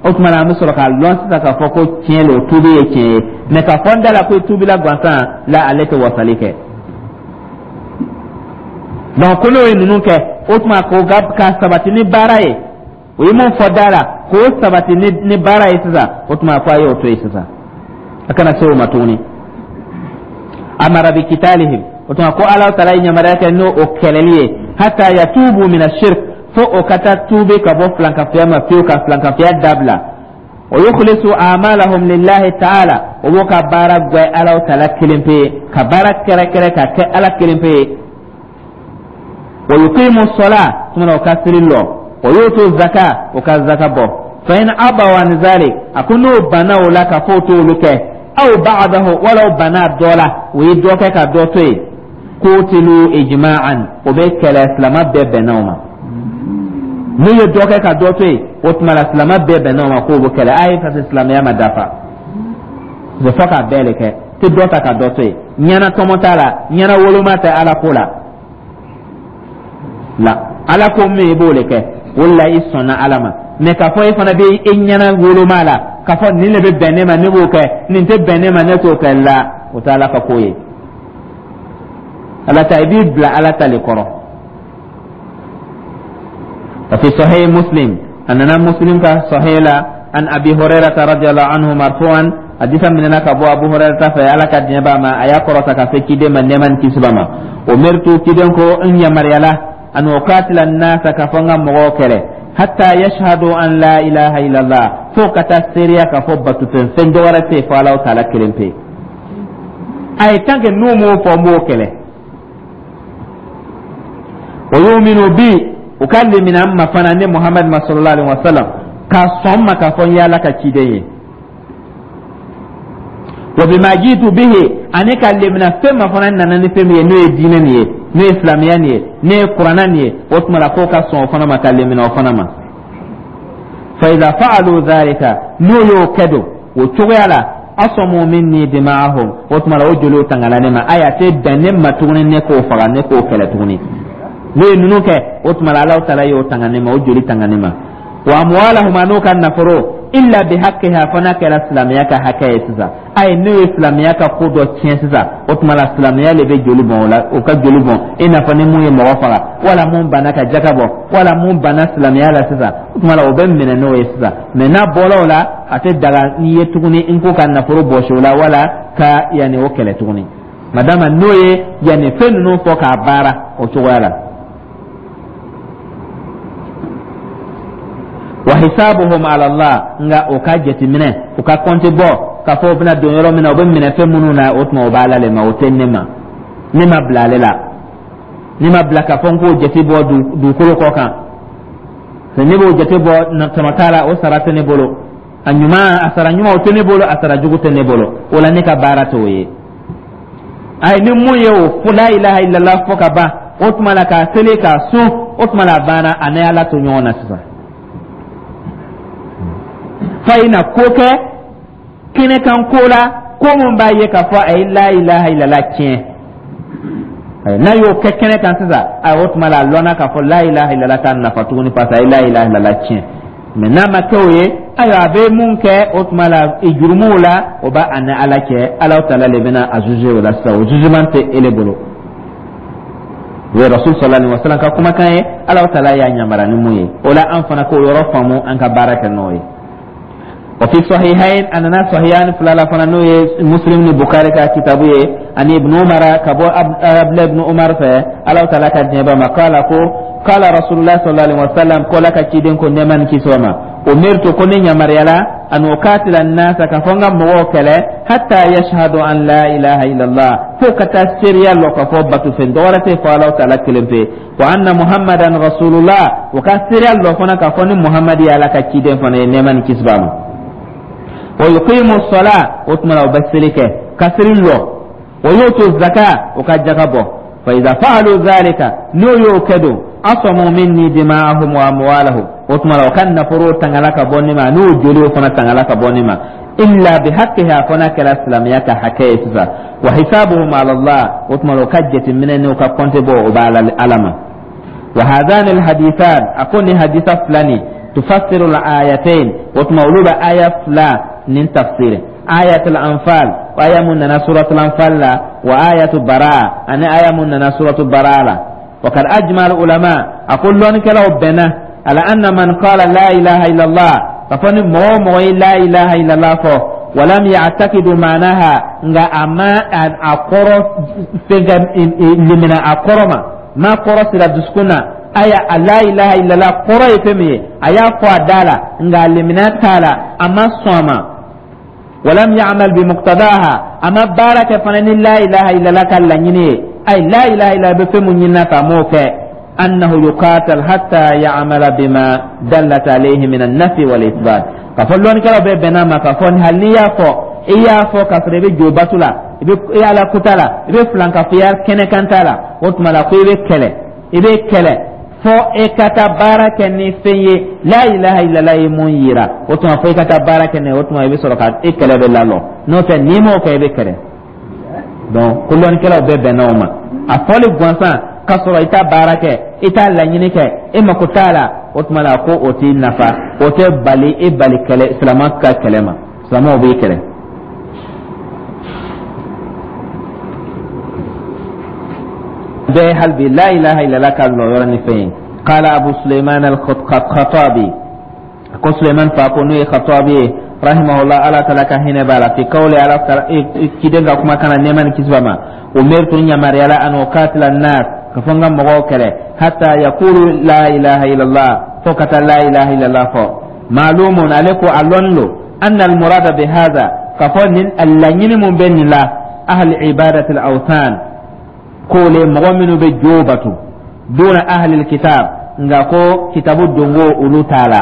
o tuma na an bɛ sɔrɔ k'a lɔn sisan k'a fɔ ko tiɲɛ le, o tuubi ye tiɲɛ ye. Mɛ k'a fɔ n da la ko tuubila gansan la, ale tɛ wasali kɛ. Donc ko n'o ye ninnu kɛ, o tuma k'o ka sabati ni baara ye, o ye mun fɔ da la, k'o sabati ni baara ye sisan, o tuma ko a y'o to yen sisan, a kana se o ma tuguni. Amara bi kitalihim, o tuma ko Ala taala ye yamaruya kɛ n'o o kɛlɛli ye, hatta yatubu mina shirk, fo o ka taa tuubi ka bɔ filankafoya ma pewu, ka filankafoya dabila, wa yukhlisu amalahum lillahi ta'ala, o b'o ka baara gwɛ Ala taala kelen pe ye, ka baara kɛrɛkɛrɛ ka kɛ Ala kelen pe ye, wa yuqimu sɔla, tuma o ka seli lɔ, wa yutu zaka, o ka zaka bɔ. Fa in abaw an zalik, a ko n'o banna o la ka fɔ o t'olu kɛ, aw ba'dahu, wala o banna dɔ la, o ye dɔ kɛ ka dɔ to yen, qutilu ijma'an, o bɛ kɛlɛ, silama bɛɛ bɛnna o ma. N'u ye dɔ kɛ ka dɔ to yen, o tuma la silama bɛɛ bɛnna o ma k'o bɛ kɛlɛ. A ye, parce que silamɛya ma dafa, fo k'a bɛɛ de kɛ, tɛ dɔ ta ka dɔ to yen. Ɲɛna tɔmɔ t'a la, ɲɛna woloma tɛ Ala ko la. La Ala ko min, i b'o de kɛ, o de la i sɔnna Ala ma. Mɛ k'a fɔ e fana bɛ e ɲɛna woloma la k'a fɔ nin de bɛ bɛn ne ma, ne b'o kɛ, nin tɛ bɛn ne ma, ne t'o kɛ la, o tɛ Ala ka ko ye. Ala ta, i b'i bila Ala ta le kɔrɔ. Fi Sahih Muslim, a nana Muslim ka Sahih la, an Abi Hurairah radiyallahu anhu marfu'an, hadisa minɛna ka bɔ Abu Hurairah fɛ, Ala ka diɲɛ b'a ma, a y'a kɔrɔta ka se ciden ma, nɛɛma ni kisi b'a ma. Umirtu, ciden ko n yamaruyala, an uqatila nasa, ka fɔ n ka mɔgɔw kɛlɛ, hatta yashhadu an la ilaha illallah, fo ka taa seereya k'a fɔ batufɛn fɛn dɔ wɛrɛ tɛ yen fo Ala taala kelen pe. A ye, tant que n'u m'o fɔ, n b'o kɛlɛ. Wa yuminu bi, u ka lemina n ma fana, ne Muhammad ma, sallallahu alaihi wa sallam, k'a sɔn n ma k'a fɔ n ye Ala ka ciden ye, wa bima jitu bihi, ani ka lemina fɛn ma fana nana ni fɛn min ye, n'o ye diinɛ nin ye, n'o ye silamɛya nin ye, n'o ye kuranna nin ye. O tuma la k'o ka sɔn o fana ma, ka lemina o fana ma. Fa idha fa'alu dhalika, n'o y'o kɛ don o cogoya la, asamu minni dima'ahum, o tuma la o joliw tangala ne ma. Ayi, a tɛ bɛn ne ma tuguni ne k'o faga, ne k'o kɛlɛ tuguni. N'o ye ninnu kɛ, o tuma la Alahu taala y'o tanga ne ma, o joli tanga ne ma, wa amwalahum, an'o ka nafolo, illa bi haqqiha, fo n'a kɛra silamɛya ka hakɛ ye sisan. Ayi, n'o ye silamɛya ka ko dɔ tiɲɛ sisan, o tuma la silamɛya le bɛ joli bɔn o la, o ka joli bɔn, i n'a fɔ ni mun ye mɔgɔ faga, wala mun banna ka jaka bɔ, wala mun banna silamɛya la sisan, o tuma la o bɛ minɛ n'o ye sisan. Mɛ n'a bɔra o la, a tɛ daga n'i ye tuguni n ko ka nafolo bɔsi o la, wala ka yanni o kɛlɛ tuguni, madama n'o ye yanni fɛn ninnu fɔ k'a baara o cogoya la. Wa hisabuhum ala Allah, nka o ka jateminɛ, o ka kɔnte bɔ k'a fɔ o bɛna don yɔrɔ min na, o bɛ minɛ fɛn minnu na, o tuma o b'Ala le ma, o tɛ ne ma. Ne ma bila ale la, ne ma bila k'a fɔ n k'o jate bɔ dugukolo kɔ kan. Ne b'o jate bɔ tɔnɔ t'a la, o sara tɛ ne bolo, a ɲuman, a sara ɲuman, o tɛ ne bolo, a sara jugu tɛ ne bolo. O la ne ka baara t'o ye. Ayi, ni mun ye o fo la ilaha illallah fɔ ka ban, o tuma la k'a seli, k'a sun, o tuma la a banna, a ni Ala to ɲɔgɔn na sisan. Fa i na ko kɛ kɛnɛkan ko la, ko mun b'a ye k'a fɔ a ye la ilaha illallah tiɲɛ, n'a y'o kɛ kɛnɛ kan sisan, ayi, o tuma la a lɔnna k'a fɔ la ilaha illallah t'a nafa tuguni, parce que a ye la ilaha illallah tiɲɛ. Mɛ n'a ma kɛ o ye, ayiwa, a bɛ mun kɛ, o tuma la jurumuw la, o b'a ni Ala cɛ. Ala taala le bɛna a juger o la sisan, o jugement tɛ ele bolo. O ye Rasul sallallahu alaihi wasallam ka kumakan ye, Ala taala y'a yamara ni mun ye, o la an fana k'o yɔrɔ faamu, an ka baara kɛ n'o ye. Wa fi sahihain, a nana sahihain fila la fana, n'o ye Muslim ni Bukhari ka kitabu ye, ani Ibn Umar, ka bɔ Abdullah ibn Umar fɛ, Ala taala ka diɲɛ ba ma, kala ko kala Rasulullah sallallahu alaihi wasallam, ko la ka ciden ko, nɛɛma ni kisi ma, umirtu, ko ne yamaruyala, an ukatila nasa, ka fɔ n ka mɔgɔw kɛlɛ, hatta yashhadu an la ilaha illallah, fo ka taa seereya lɔ ka fɔ bato fɛn dɔwɛrɛ tɛ fɔ Ala taala kelen pe, wa anna Muhammadan rasulullah, o ka seereya lɔ fana ka fɔ ni Muhammad ye Ala ka ciden fana ye, nɛɛma ni kisi b'a ma, wa yuqimu sala, o tuma la o bɛ seli kɛ, ka seli lɔ, wa yutu zaka, o ka jaka bɔ. Fa iza fa'alu dhalika, n'o y'o kɛ don, asamu minni dima'ahum wa amwalahum, o tuma la o ka nafolo tangala ka bɔ ne ma, n'o joliw fana tangala ka bɔ ne ma, illa bihaqqiha, fo n'a kɛra silamɛya ka hakɛ ye sisan, wa hisabuhum ala Allah, o tuma la o ka jateminɛ n'o ka kɔnte bɔ, o b'a Ala ma. Wa hadhani alhadithan, a ko ni hadisa fila nin, tufassiru al-ayatain, o tuma olu bɛ aya fila nin tafsir, ayatul anfal, aya mun nana suratul anfal la, wa ayatu bara, ani aya mun nana suratul bara la. Wa kad ajma al ulama, a ko lɔnnikɛlaw bɛnna, ala anna man qala la ilaha illallah, ka fɔ ni mɔgɔ o mɔgɔ ye la ilaha illallah fɔ, walam ya'taqidu ma'naha, nka a ma a kɔrɔ fɛnkɛ limina a kɔrɔ ma, ma kɔrɔ sira dusukun na, aya a la ilaha illallah kɔrɔ ye fɛn min ye, a y'a fɔ a da la, nka a limina t'a la, a ma sɔn a ma, walam ya'mal bi muqtadaha, a ma baara kɛ fana ni la ilaha illallah ka laɲini ye, ayi, la ilaha illallah bɛ fɛn mun ɲinina k'a m'o kɛ, annahu yuqatal hatta ya'mala bima dallat alayhi min an-nafi wal ithbat, ka fɔ lɔnnikɛlaw bɛɛ bɛnna ma ka fɔ hali n'i y'a fɔ, i y'a fɔ k'a sɔrɔ i bɛ jo bato la, i bɛ i ala kuta la, i bɛ filankafoya kɛnɛkan ta la, o tuma la ko i bɛ kɛlɛ, i bɛ kɛlɛ fo e ka taa baara kɛ ni fɛn ye la ilaha illallah ye mun yira, o tuma fo i ka taa baara kɛ n'a ye, o tuma i bɛ sɔrɔ ka e kɛlɛ bɛ lalɔ, n'o tɛ n'i m'o kɛ, i bɛ kɛlɛ. Donc ko lɔnnikɛlaw bɛɛ bɛnna o ma, a fɔli gansan k'a sɔrɔ i t'a baara kɛ, i t'a laɲini kɛ, e mako t'a la, o tuma la ko o t'i nafa, o tɛ bali e bali kɛlɛ, silamɛ ka kɛlɛ ma, silamɛw b'i kɛlɛ. Bɛɛ hali bi la ilaha illallah ka lɔ yɔrɔ ni fɛn ye. Qala Abu Suleiman al-Khattabi, ko Suleiman fa ko n'o ye Khattabi ye, rahimahullah, Ala taala ka hinɛ b'a la, fi qawli, Ala ciden ka kuma kana, nɛɛma ni kisi b'a ma, umirtu, yamaruyala, an uqatila an-nas, ka fɔ n ka mɔgɔw kɛlɛ, hatta yaqulu la ilaha illallah, fo ka taa la ilaha illallah fɔ. Ma'lumun, ale ko a lɔnni lo, anna al-murada bi hadha, ka fɔ nin laɲini mun bɛ nin la, ahli ibadati al-awthan, ko le mɔgɔ minnu bɛ jo bato, duna ahli kitab, nka ko kitabu dongo olu t'a la,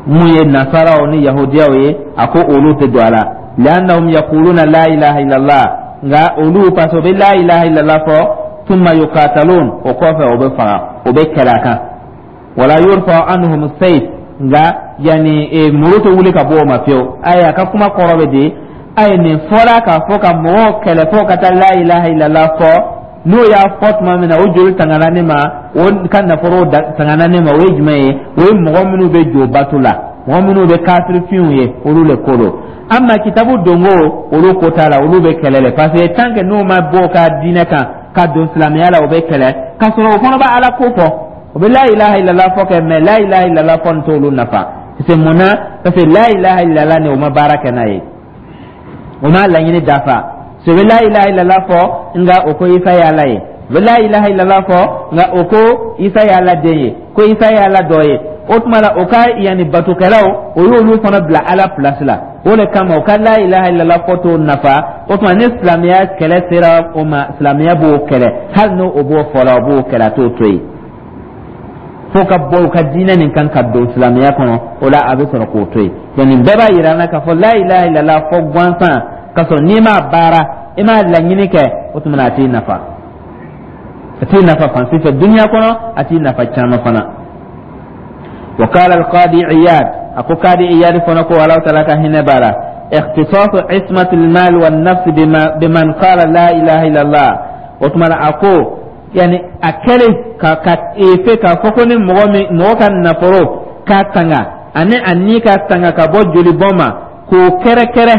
mun ye nasaraw ni yahudiyaw ye, a ko olu tɛ don a la, li'annahum yaquluna la ilaha illallah, nka olu parce que o bɛ la ilaha illallah fɔ, thumma yuqatalun, o kɔfɛ o bɛ faga, o bɛ kɛlɛ a kan, wala yurfa anhum sayf, nka yani muru tɛ wuli ka bɔ o ma fiyewu. Ayi, a ka kuma kɔrɔ bɛ di? Ayi, nin fɔra k'a fɔ ka mɔgɔw kɛlɛ fo ka taa la ilaha illallah fɔ, n'o y'a fɔ tuma min na, o joli tangana ne ma, o ka nafolo tangana ne ma, o ye jumɛn ye? O ye mɔgɔ minnu bɛ jo bato la, mɔgɔ minnu bɛ kafirifinw ye, olu le ko don. Amma kitabu dongo, olu ko t'a la, olu bɛ kɛlɛ le, parce que tant que n'u ma bɔ o ka diinɛ kan ka don silamɛya la, o bɛ kɛlɛ, k'a sɔrɔ o fana bɛ Ala ko fɔ, o bɛ la ilaha illallah fɔ kɛ, mais la ilaha illallah fɔ nin t'olu nafa. Parce que mun na? Parce que la ilaha illallah nin, o ma baara kɛ n'a ye, o ma laɲini dafa. So bɛ la ilaha illallah fɔ, nka o ko Isa ye Ala ye, o bɛ la ilaha illallah fɔ, nka o ko Isa ye Ala den ye, ko Isa ye Ala dɔ ye, o tuma la o ka yanni batokɛlaw, o y'olu fana bila Ala place la. O de kama o ka la ilaha illallah fɔ t'o nafa. O tuma ni silamɛya kɛlɛ sera o ma, silamɛya b'o kɛlɛ, hali n'o b'o fɔ la, o b'o kɛlɛ, a t'o to yen fo ka bɔ u ka diinɛ nin kan ka don silamɛya kɔnɔ, o la a bɛ sɔrɔ k'o to yen. Donc nin bɛɛ b'a yira an na k'a fɔ la ilaha illallah fɔ gansan k'a sɔrɔ n'i m'a baara, i m'a laɲini kɛ, o tuma na a t'i nafa, a t'i nafa fan si fɛ duniya kɔnɔ, a t'i nafa caman fana. Wa qala al-qadi Iyad, a ko qadi Iyad fana ko, Ala taala ka hinɛ b'a la, ikhtisasu ismatil mal wan nafs biman qala la ilaha illallah, o tuma na a ko yani a kɛlen ka efe k'a fɔ ko ni mɔgɔ min, mɔgɔ ka nafolo ka tanga ani a ni ka tanga ka bɔ jolibɔn ma, k'o kɛrɛkɛrɛ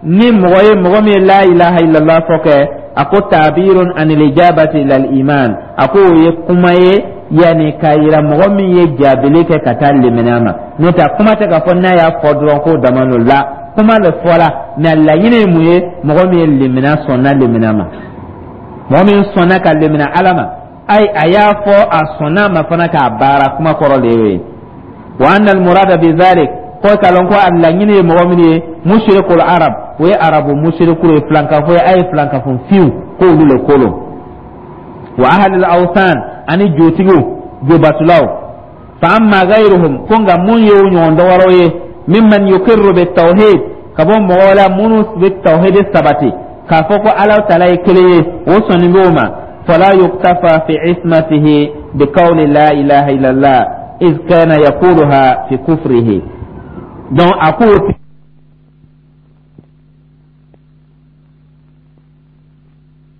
ni mɔgɔ ye, mɔgɔ min ye la ilaha illallah fɔ kɛ, a ko ta'birun anil ijabati ilal iman, a ko o ye kuma ye. Yanni k'a yira mɔgɔ min ye jaabili kɛ ka taa limaniya ma, n'o tɛ a kuma tɛ k'a fɔ n'a y'a fɔ dɔrɔn k'o dama n'o la. Kuma le fɔla, mɛ laɲini ye mun ye? Mɔgɔ min ye limaniya, sɔnna limaniya ma, mɔgɔ min sɔnna ka limaniya Ala ma, ayi, a y'a fɔ a sɔnna ma fana k'a baara, kuma kɔrɔ de y'o ye. Wa anna almurada bi dhalik, ko k'a lɔn ko a laɲini ye mɔgɔ min ye, mushrikul arab, o ye arabu mushriku ye, filankafo ye, a ye filankafo finw k'olu le kolo, wa ahlul awthan, ani jotigiw, jobatulaw. Fa amma ghayruhum, ko nka mun ye o ɲɔgɔn dɔwɛrɛw ye, mimman yukirru bi tawhid, ka bɔ mɔgɔw la minnu bɛ tawhid sabati k'a fɔ ko Ala taala ye kelen ye, o sɔnni b'o ma, fala yuktafa fi ismatihi bi qawli la ilaha illallah iz kana yaquluha fi kufrihi. Donc a ko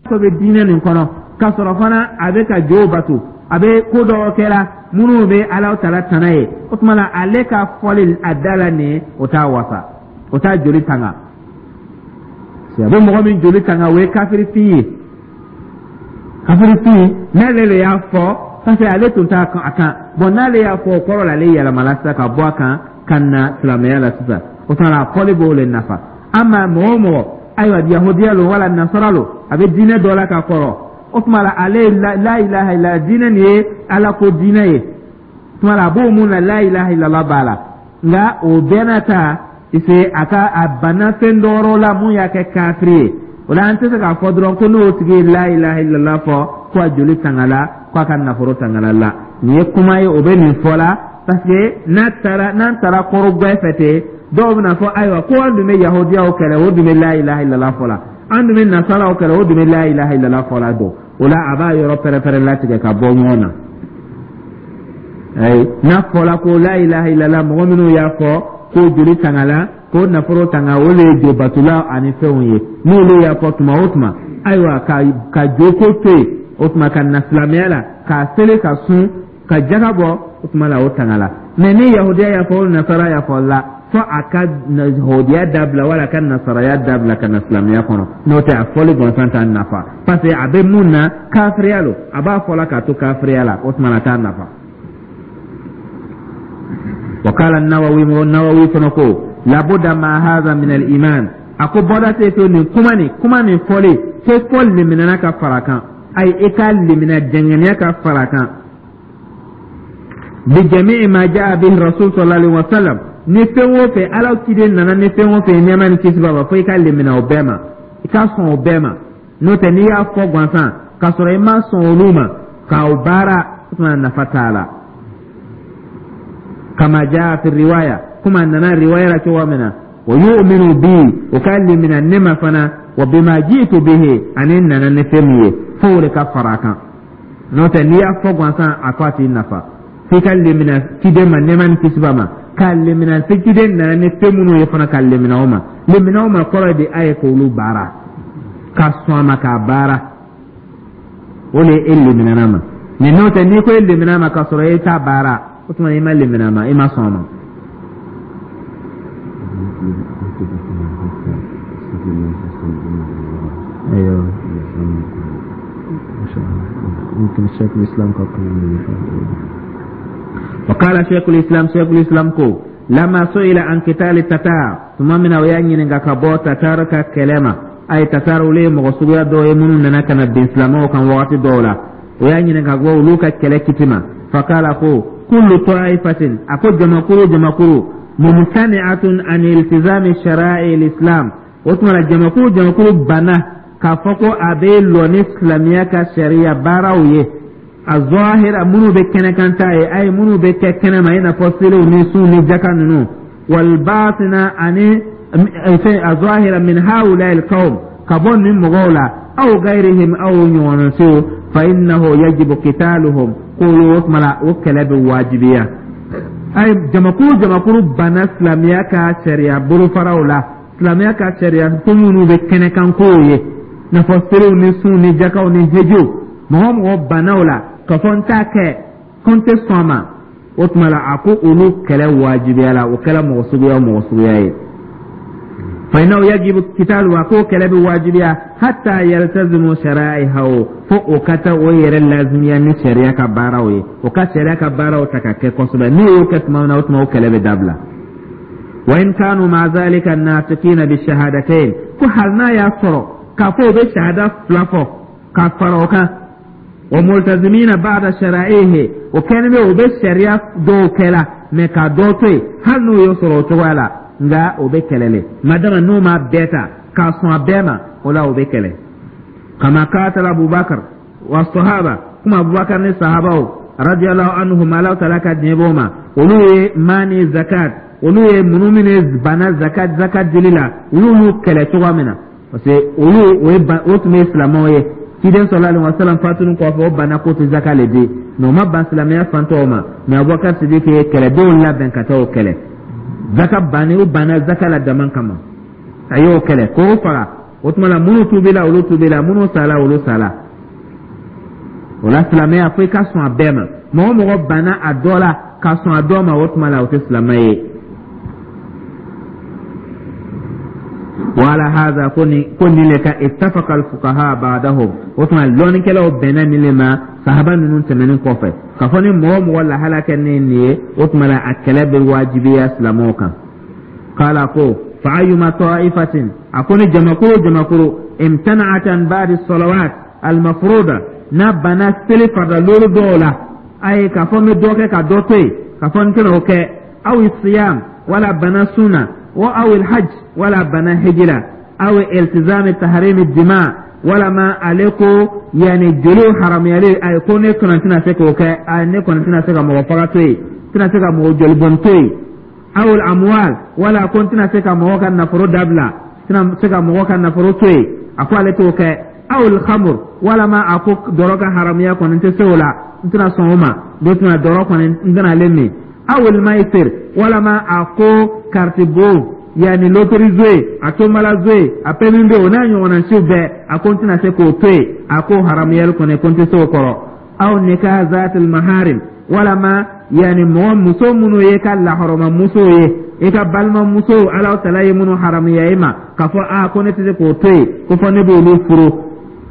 ko bɛ diinɛ nin kɔnɔ k'a sɔrɔ fana a bɛ ka jo bato, a bɛ ko dɔw kɛra minnu bɛ Ala taala tana ye, o tuma la ale ka fɔli a da la nin, o t'a wasa, o t'a joli tanga. A bɛ mɔgɔ min joli tanga, o ye kafirifin ye. Kafirifin n'ale de y'a fɔ, parce que ale tun t'a a kan bɔn, n'ale y'a fɔ, o kɔrɔ la ale yɛlɛmala sisan ka bɔ a kan ka na silamɛya la sisan. O tuma la a fɔli b'o le nafa. Ama mɔgɔ o mɔgɔ, ayiwa, yahudiya lo wala nasara lo, a bɛ diinɛ dɔ la ka kɔrɔ, o tuma la ale ye la ilaha illa diinɛ nin ye Ala ko diinɛ ye, o tuma la a b'o mun na, la ilaha illallah b'a la, nka o bɛɛ n'a ta ise a ka a banna fɛn dɔ la mun y'a kɛ kafiri ye. O la an tɛ se k'a fɔ dɔrɔn ko n'o tigi ye la ilaha illallah fɔ ko a joli tangala, ko a ka nafolo tangala la. Nin ye kuma ye, o bɛ nin fɔ la parce que n'a taara n'an taara kɔrɔgbɛ fɛ ten, dɔw bɛna fɔ ayiwa ko an dun bɛ yahudiyaw kɛlɛ, o dun bɛ la ilaha illallah fɔ la, an dun bɛ nasaraw kɛlɛ, o dun bɛ la ilaha illallah fɔ la. Don o la a b'a yɔrɔ pɛrɛpɛrɛ latigɛ ka bɔ ɲɔgɔn na. Ayi, n'a fɔla ko la ilaha illallah, mɔgɔ minnu y'a fɔ k'o joli tangala, k'o nafolo tanga, o le ye jobatula ani fɛnw ye. N'olu y'a fɔ tuma o tuma, ayiwa, ka jo ko to yen, o tuma ka na silamɛya la, k'a seli, ka sun, ka jaga bɔ, o tuma la o tangala. Mɛ ni yahudiya y'a fɔ o nasara y'a fɔ la, fo a ka yahudiya dabila wala a ka nasaraya dabila ka na silamɛya kɔnɔ. N'o tɛ, a fɔli gansan t'a nafa, parce que a bɛ mun na, kafiriya lo, a b'a fɔla k'a to kafiriya la, o tuma na a t'a nafa. وقال النووي, النووي fana ko labuda ma hadha min al-iman, a ko bɔda tɛ to nin kuma nin, kuma nin fɔli ko fɔ liminɛna ka fara kan, ayi, i ka limina jɛngɛniya ka fara kan, bi jami'i ma jaa bihi rasul sallallahu alaihi wasallam, ni fɛn o fɛn Ala ciden nana ni fɛn o fɛn, nɛɛma ni kisi b'a ma, fo i ka limina o bɛɛ ma, i ka sɔn o bɛɛ ma. N'o tɛ, n'i y'a fɔ gansan k'a sɔrɔ i ma sɔn olu ma k'o baara, o tuma nafa t'a la. Kama jaa fi riwaya, kuma nana riwaya la cogo min na, wa yu'minu bi, o ka limina ne ma fana, wa bima ji'tu bihi, ani nana ni fɛn min ye, fo o de ka fara a kan. N'o tɛ, n'i y'a fɔ gansan, a ko a t'i nafa. F'i ka limina ciden ma, nɛɛma ni kisi b'a ma, ka limina se ciden nana ni fɛn minnu ye fana, ka limina o ma. Limina o ma kɔrɔ de a ye k'olu baara, ka sɔn a ma k'a baara, o de ye e liminana ma. Mɛ n'o tɛ, n'i ko e limina ma k'a sɔrɔ e t'a baara, o tuma i ma limina ma, i ma sɔn a ma. ايوه، ممكن الشيخ الاسلام. وقال شيخ الاسلام, شيخ الاسلام ko لما سئل عن قتال التتار, tuma min na o y'a ɲininka ka bɔ tatar ka kɛlɛ ma, a ye tatar, olu ye mɔgɔ suguya dɔw ye minnu nana ka na bin silamɛw kan wagati dɔw la, o y'a ɲininka ka bɔ olu ka kɛlɛ kiti ma, fakala, ko kullu ta'ifatin, a ko jamakuru jamakuru, mumtani'atun an iltizami shara'i l'islam, o tuma la jamakuru jamakuru banna k'a fɔ ko a bɛ lɔ ni silamɛya ka sariya baaraw ye, a zahira, minnu bɛ kɛnɛkan ta ye, a ye minnu bɛ kɛ kɛnɛma, i n'a fɔ seliw ni sun ni jaka ninnu, walbatina, ani fɛn a zahira, min haula alqawm, ka bɔ nin mɔgɔw la, aw gairihim, aw ɲɔgɔnna, fa innahu yajibu qitaluhum, ko o tuma la o kɛlɛ bɛ wajibiya. Ayi, jamakuru jamakuru banna silamɛya ka sariya bolofaraw la, silamɛya ka sariya ko minnu bɛ kɛnɛkan kow ye, n'a fɔ seliw ni sun ni jakaw ni hejiw, mɔgɔ o mɔgɔ banna o la k'a fɔ n t'a kɛ, ko n tɛ sɔn a ma, o tuma la a ko olu kɛlɛ wajibiya la, o kɛra mɔgɔ suguya o mɔgɔ suguya ye. Fa innahu yajibu kitalu, a ko kɛlɛ bɛ wajibiya, hatta yaltazimu shara'ihahu, fo o ka taa o yɛrɛ lazimiya ni sariya ka baaraw ye, o ka sariya ka baaraw ta ka kɛ kosɛbɛ. N'u y'o kɛ tuma min na, o tuma o kɛlɛ bɛ dabila. Wa in kanu ma zalika natiqina bi shahadatayn, ko hali n'a y'a sɔrɔ k'a fɔ o bɛ shahada fila fɔ ka fara o kan, wa multazimina ba'da shara'ihi, o kɛlen bɛ o bɛ sariya dɔw kɛla mɛ ka dɔ to yen, hali n'o y'o sɔrɔ o cogoya la, nka o bɛ kɛlɛ le, madama n'o ma bɛɛ ta k'a sɔn a bɛɛ ma, o la o bɛ kɛlɛ. Kama katala Abubakar wa sahaba, kuma Abubakar ni sahabaw radiyallahu anhum, Ala taala ka diɲɛ b'o ma, olu ye mani zakat, olu ye minnu minnu banna zakat dili la, olu y'u kɛlɛ cogoya min na, parce que olu o ye o tun bɛ silamɛw ye. Ciden sallallahu alaihi wasallam fatuni kɔfɛ, o banna k'o tɛ zaka le di, mɛ o ma ban silamɛya fantɔw ma. Mɛ Abubakar Sidiki ye kɛlɛdenw labɛn ka taa o kɛlɛ, zaka banni, o banna zaka la dama kama, a y'o kɛlɛ k'o faga. O tuma la, minnu tubila, olu tubila, minnu sala, olu sala. O la, silamɛya, fo i ka sɔn a bɛɛ ma. Mɔgɔ o mɔgɔ banna a dɔ la ka sɔn a dɔ ma, o tuma la o tɛ silamɛ ye. Wala haza, ko nin le kan ittafaqa alfuqaha ba'dahum, o tuma lɔnnikɛlaw bɛnna nin le ma sahaba ninnu tɛmɛnen kɔfɛ, k'a fɔ ni mɔgɔ o mɔgɔ lahala kɛ ne nin ye, o tuma la a kɛlɛ bɛ wajibiya silamɛw kan. Kala ko fa ayyuma ta'ifatin, a ko ni jamakulu o jamakulu, imtana'at an ba'di salawat almafruda, n'a banna seli farida loolu dɔw la, a ye k'a fɔ n bɛ dɔ kɛ ka dɔ to yen, k'a fɔ n tɛna o kɛ, aw siyam, wala bana sunna wa aw alhajj, wala bana hijira, aw iltizam tahrim dima, walama ale ko yanni joli haramuyali, ayi, ko ne kɔni tɛna se k'o kɛ, ayi, ne kɔni tɛna se ka mɔgɔ faga to yen, tɛna se ka mɔgɔ joli bɔn to yen, aw amwal, wala ko n tɛna se ka mɔgɔ ka nafolo dabila, tɛna se ka mɔgɔ ka nafolo to yen, a ko ale t'o kɛ, aw alkhamr, walama a ko dɔrɔ ka haramuya kɔni tɛ se o la, n tɛna sɔn o ma, ne tɛna dɔrɔ kɔni, n tɛna ale min, aw almaisir, walama a ko kariti bon, yanni lotori jouer, a tomala jouer, a pɛmi bɛ o n'a ɲɔgɔnna siw bɛɛ, a ko n tɛna se k'o to yen, a ko haramuyali kɔni, ko n tɛ se o kɔrɔ, aw nikah zatil maharim, walama yanni mɔgɔ muso minnu ye ka lahɔrɔma muso ye, i ka balimamuso, Ala tala ye minnu haramuya i ma, k'a fɔ a ko ne tɛ se k'o to yen, ko fɔ ne b'olu furu,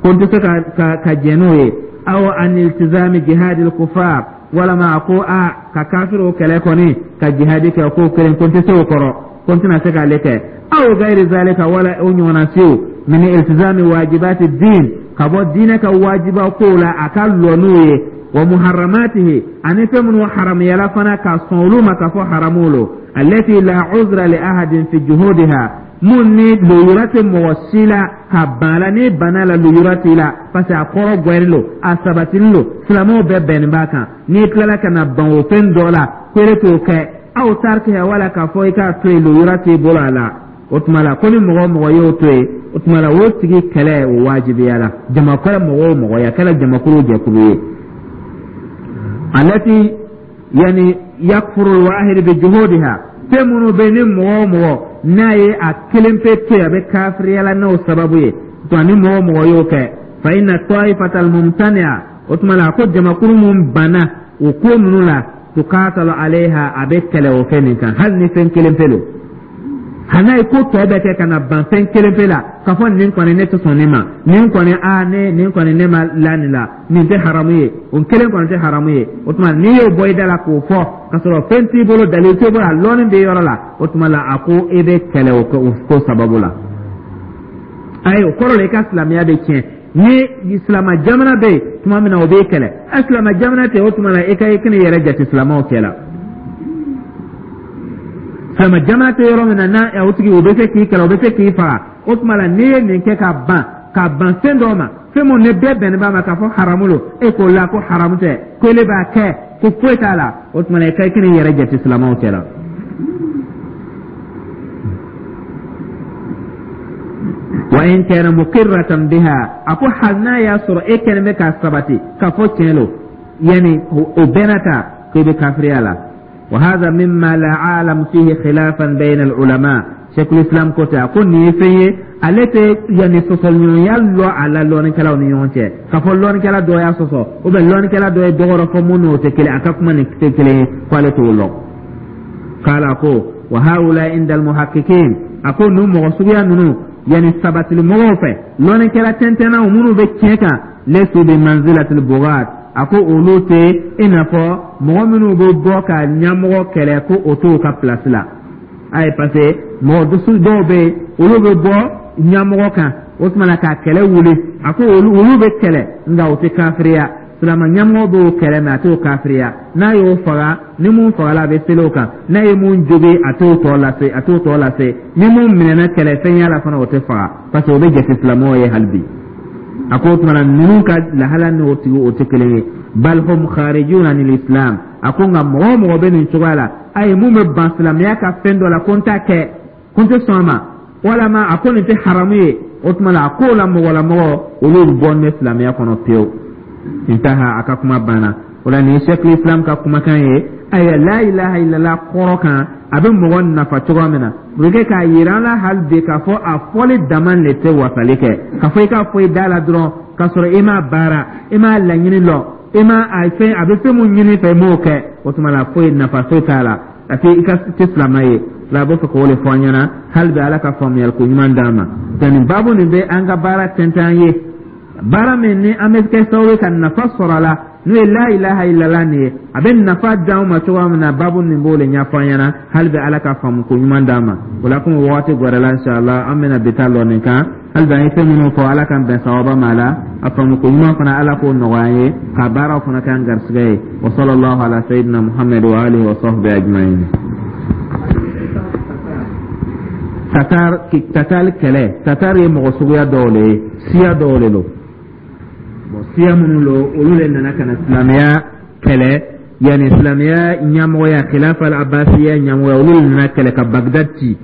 ko n tɛ se ka jɛn n'o ye, aw an iltizami jihadil kufar, walama a ko a ka kafiriw kɛlɛ kɔni, ka jihadi kɛ, ko kelen, ko n tɛ se o kɔrɔ, ko n tɛna se k'ale kɛ, aw gairi zalika, wala o ɲɔgɔnna siw, min iltizami wajibati din, ka bɔ diinɛ ka wajiba kow la, a ka lɔ n'o ye, wa muharramatihi, ani fɛn minnu haramuyala fana, ka sɔn olu ma k'a fɔ haramu lo, allati la uzra li ahadin fi juhudiha, mun ni luyura tɛ mɔgɔ si la ka ban la, n'i banna la, luyura t'i la, parce que a kɔrɔ gwɛri lo, a sabatili lo, silamɛw bɛɛ bɛnnin b'a kan. N'i tilala ka na ban o fɛn dɔ la ko e t'o kɛ, aw tarkiha, wala k'a fɔ i k'a to yen, luyura t'i bolo a la, o tuma la ko ni mɔgɔ o mɔgɔ y'o to yen, o tuma la o tigi kɛlɛ o wajibiyala. Jama kɛra mɔgɔ o mɔgɔ ye, a kɛra jamakulu o jɛkulu ye, alati yani yakfuru alwahid bi juhudiha, fɛn minnu bɛ ni mɔgɔ o mɔgɔ n'a ye a kelen pe to yen, a bɛ kafiriyala n'o sababu ye. Tuma ni mɔgɔ o mɔgɔ y'o kɛ, fa inna ta'ifata almumtani'a, o tuma la a ko jamakulu mun banna o ko ninnu la, tukatalu alayha, a bɛ kɛlɛ o fɛn nin kan, hali ni fɛn kelen pe don. Hali n'a ye ko tɔ bɛɛ kɛ ka na ban fɛn kelen pe la, k'a fɔ nin kɔni ne tɛ sɔn nin ma, nin kɔni a ne nin kɔni ne ma la nin la, nin tɛ haramu ye, o kelen kɔni tɛ haramu ye, o tuma n'i y'o bɔ i da la k'o fɔ k'a sɔrɔ fɛn t'i bolo, dalil t'i bolo, a lɔnni bɛ yɔrɔ la, o tuma la a ko e bɛ kɛlɛ o ko sababu la. Ayi, o kɔrɔ la i ka silamɛya bɛ tiɲɛ. Ni silama jamana bɛ yen tuma min na, o b'e kɛlɛ. A silama jamana tɛ, o tuma la i ka i kana i yɛrɛ jate silamaw cɛ la. Silama jamana tɛ yɔrɔ min na, n'a o tigi o bɛ se k'i kɛlɛ, o bɛ se k'i faga, o tuma la n'i ye nin kɛ ka ban fɛn dɔ ma, fɛn mun ni bɛɛ bɛnnen b'a ma k'a fɔ haramu lo, e k'o la ko haramu tɛ, ko ele b'a kɛ, ko foyi t'a la, o tuma la i ka i kana i yɛrɛ jate silamaw cɛ la. Wa in kana muqirratan biha, a ko hali n'a y'a sɔrɔ e kɛlen bɛ k'a sabati k'a fɔ tiɲɛ lo, yani o bɛɛ n'a ta k'e bɛ kafiriya la. Wa hadha mimma la a'lam fihi khilafan bayna al ulama, Sheikhul Islam ko ten, a ko nin ye fɛn ye, ale tɛ yanni sɔsɔliɲɔgɔnya lɔ a la lɔnnikɛlaw ni ɲɔgɔn cɛ, k'a fɔ lɔnnikɛla dɔ y'a sɔsɔ ou bien lɔnnikɛla dɔ ye dɔ wɛrɛ fɔ mun n'o tɛ kelen, a ka kuma nin tɛ kelen ye, ko ale t'o lɔn. Kala ko wa haula inda almuhaqqiqin. A ko ninnu mɔgɔ suguya ninnu, yani sabatili mɔgɔw fɛ, lɔnnikɛla tɛntɛnnaw minnu bɛ tiɲɛ kan, laysu bi manzilatil bugat, a ko olu tɛ i n'a fɔ mɔgɔ minnu bɛ bɔ ka ɲɛmɔgɔ kɛlɛ, ko o t'o ka pilasi la. Ayi, parce que mɔgɔ dusu dɔw bɛ yen, olu bɛ bɔ ɲɛmɔgɔ kan, o tuma na ka kɛlɛ wuli. A ko olu bɛ kɛlɛ, nka o tɛ kafiriya. Silama ɲɛmɔgɔ b'o kɛlɛ mɛ a t'o kafiriya. N'a y'o faga, ni mun fagala, a bɛ seli o kan. N'a ye mun jogin, a t'o tɔ lase, a t'o tɔ lase. Ni mun minɛna kɛlɛfɛnya la fana, o tɛ faga, parce que o bɛ jate silamɛw ye hali bi. A ko o tuma na ninnu ka lahala n'o tigi o tɛ kelen ye. Bal hum kharijuna anil islam. A ko nka mɔgɔ o mɔgɔ bɛ nin cogoya la, ayi, mun bɛ ban silamɛya ka fɛn dɔ la, ko n t'a kɛ, ko n tɛ sɔn a ma, walama a ko nin tɛ haramu ye, o tuma na a k'o la mɔgɔlamɔgɔ olu bɔ ne silamɛya kɔnɔ pewu. Intaha, a ka kuma banna. O la nin ye Sheikhul Islam ka kumakan ye. Ayiwa, la ilaha illallah kɔrɔ kan, a bɛ mɔgɔ nafa cogo min na, o bɛ kɛ k'a yira an la hali bi k'a fɔ a fɔli dama de tɛ wasali kɛ, k'a fɔ i k'a fɔ i da la dɔrɔn k'a sɔrɔ i m'a baara, i m'a laɲini lɔ, i m'a a fɛn a bɛ fɛn mun ɲini fɛ, i m'o kɛ, o tuma la foyi nafa foyi t'a la, parce que i ka tɛ silamɛ ye. La a bɛ fɛ k'o de fɔ an ɲɛna hali bi. Ala ka faamuyali ko ɲuman d'an ma. Nka nin baabu nin bɛ an ka baara tɛntɛn an ye, baara min ni an bɛ kɛ sababu ye ka nafa sɔrɔ a la, n'o ye la ilaha illallah nin ye, a bɛ nafa d'anw ma cogoya min na, baabu nin b'o de ɲɛfɔ an ɲɛna hali bi. Ala ka faamu ko ɲuman d'an ma. O la komi wagati gɛrɛla, inshallah an bɛna bi ta lɔ nin kan. Hali bi an ye fɛn minnu fɔ, Ala k'an bɛn sawaba ma la. A faamu ko ɲuman fana, Ala k'o nɔgɔya an ye, ka baaraw fana k'an garisɛgɛ ye. Wa sallallahu ala sayyidina Muhammad wa alihi wa sahbihi ajma'in. Tatar, Tatar kɛlɛ. Tatar ye mɔgɔ suguya dɔw le ye, siya dɔw le lo. Bon, siya minnu lo, olu le nana ka na silamɛya kɛlɛ, yanni silamɛya ɲɛmɔgɔya, khilafa al-abbasiya ɲɛmɔgɔya, olu le nana kɛlɛ ka Bagdad ci,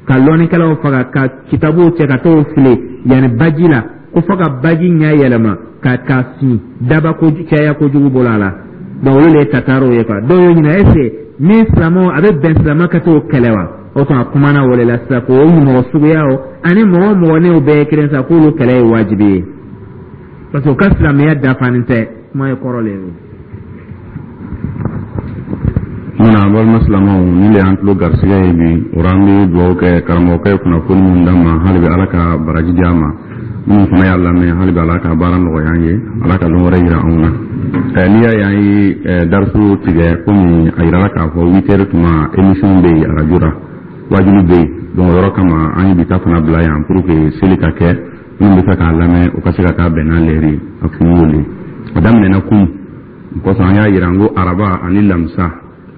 ka lɔnnikɛlaw faga, ka kitabuw cɛ ka t'o fili yanni baji la, ko fo ka baji ɲɛ yɛlɛma ka fin daba ko caya kojugu bolo a la. Donc olu le ye Tatariw ye quoi. Dɔw y'o ɲininka, est ce que ni silamɛw a bɛ bɛn silamɛ ka t'o kɛlɛ wa? O tuma kumana o de la sisan, k'o mɔgɔ suguyaw ani mɔgɔ o mɔgɔ n'o bɛɛ ye kelen sa, k'olu kɛlɛ ye wajibi ye, parce que u ka silamɛya dafanen tɛ. Kuma ye kɔrɔ le ye o. Mun an balima silamɛw, ni le y'an tulo garisɛgɛ ye bi o an bɛ dugawu kɛ karamɔgɔkɛ ye kunnafoni min d'an ma, hali bi Ala ka baraji di a ma. Minnu fana y'a lamɛn, hali bi Ala ka baara nɔgɔya an ye, Ala ka lon wɛrɛ yira anw na. N'i y'a ye an ye darisu tigɛ, komi a yirala k'a fɔ 8 heures tuma émission bɛ yen arajo la, wajuli bɛ yen, donc o yɔrɔ kama an ye bi ta fana bila yan pour que seli ka kɛ, minnu bɛ fɛ k'a lamɛn, o ka se ka k'a bɛn n'a lɛri ye. A kun y'o le a daminɛna kunun kosɔn, an y'a yira n ko araba ani lamisa,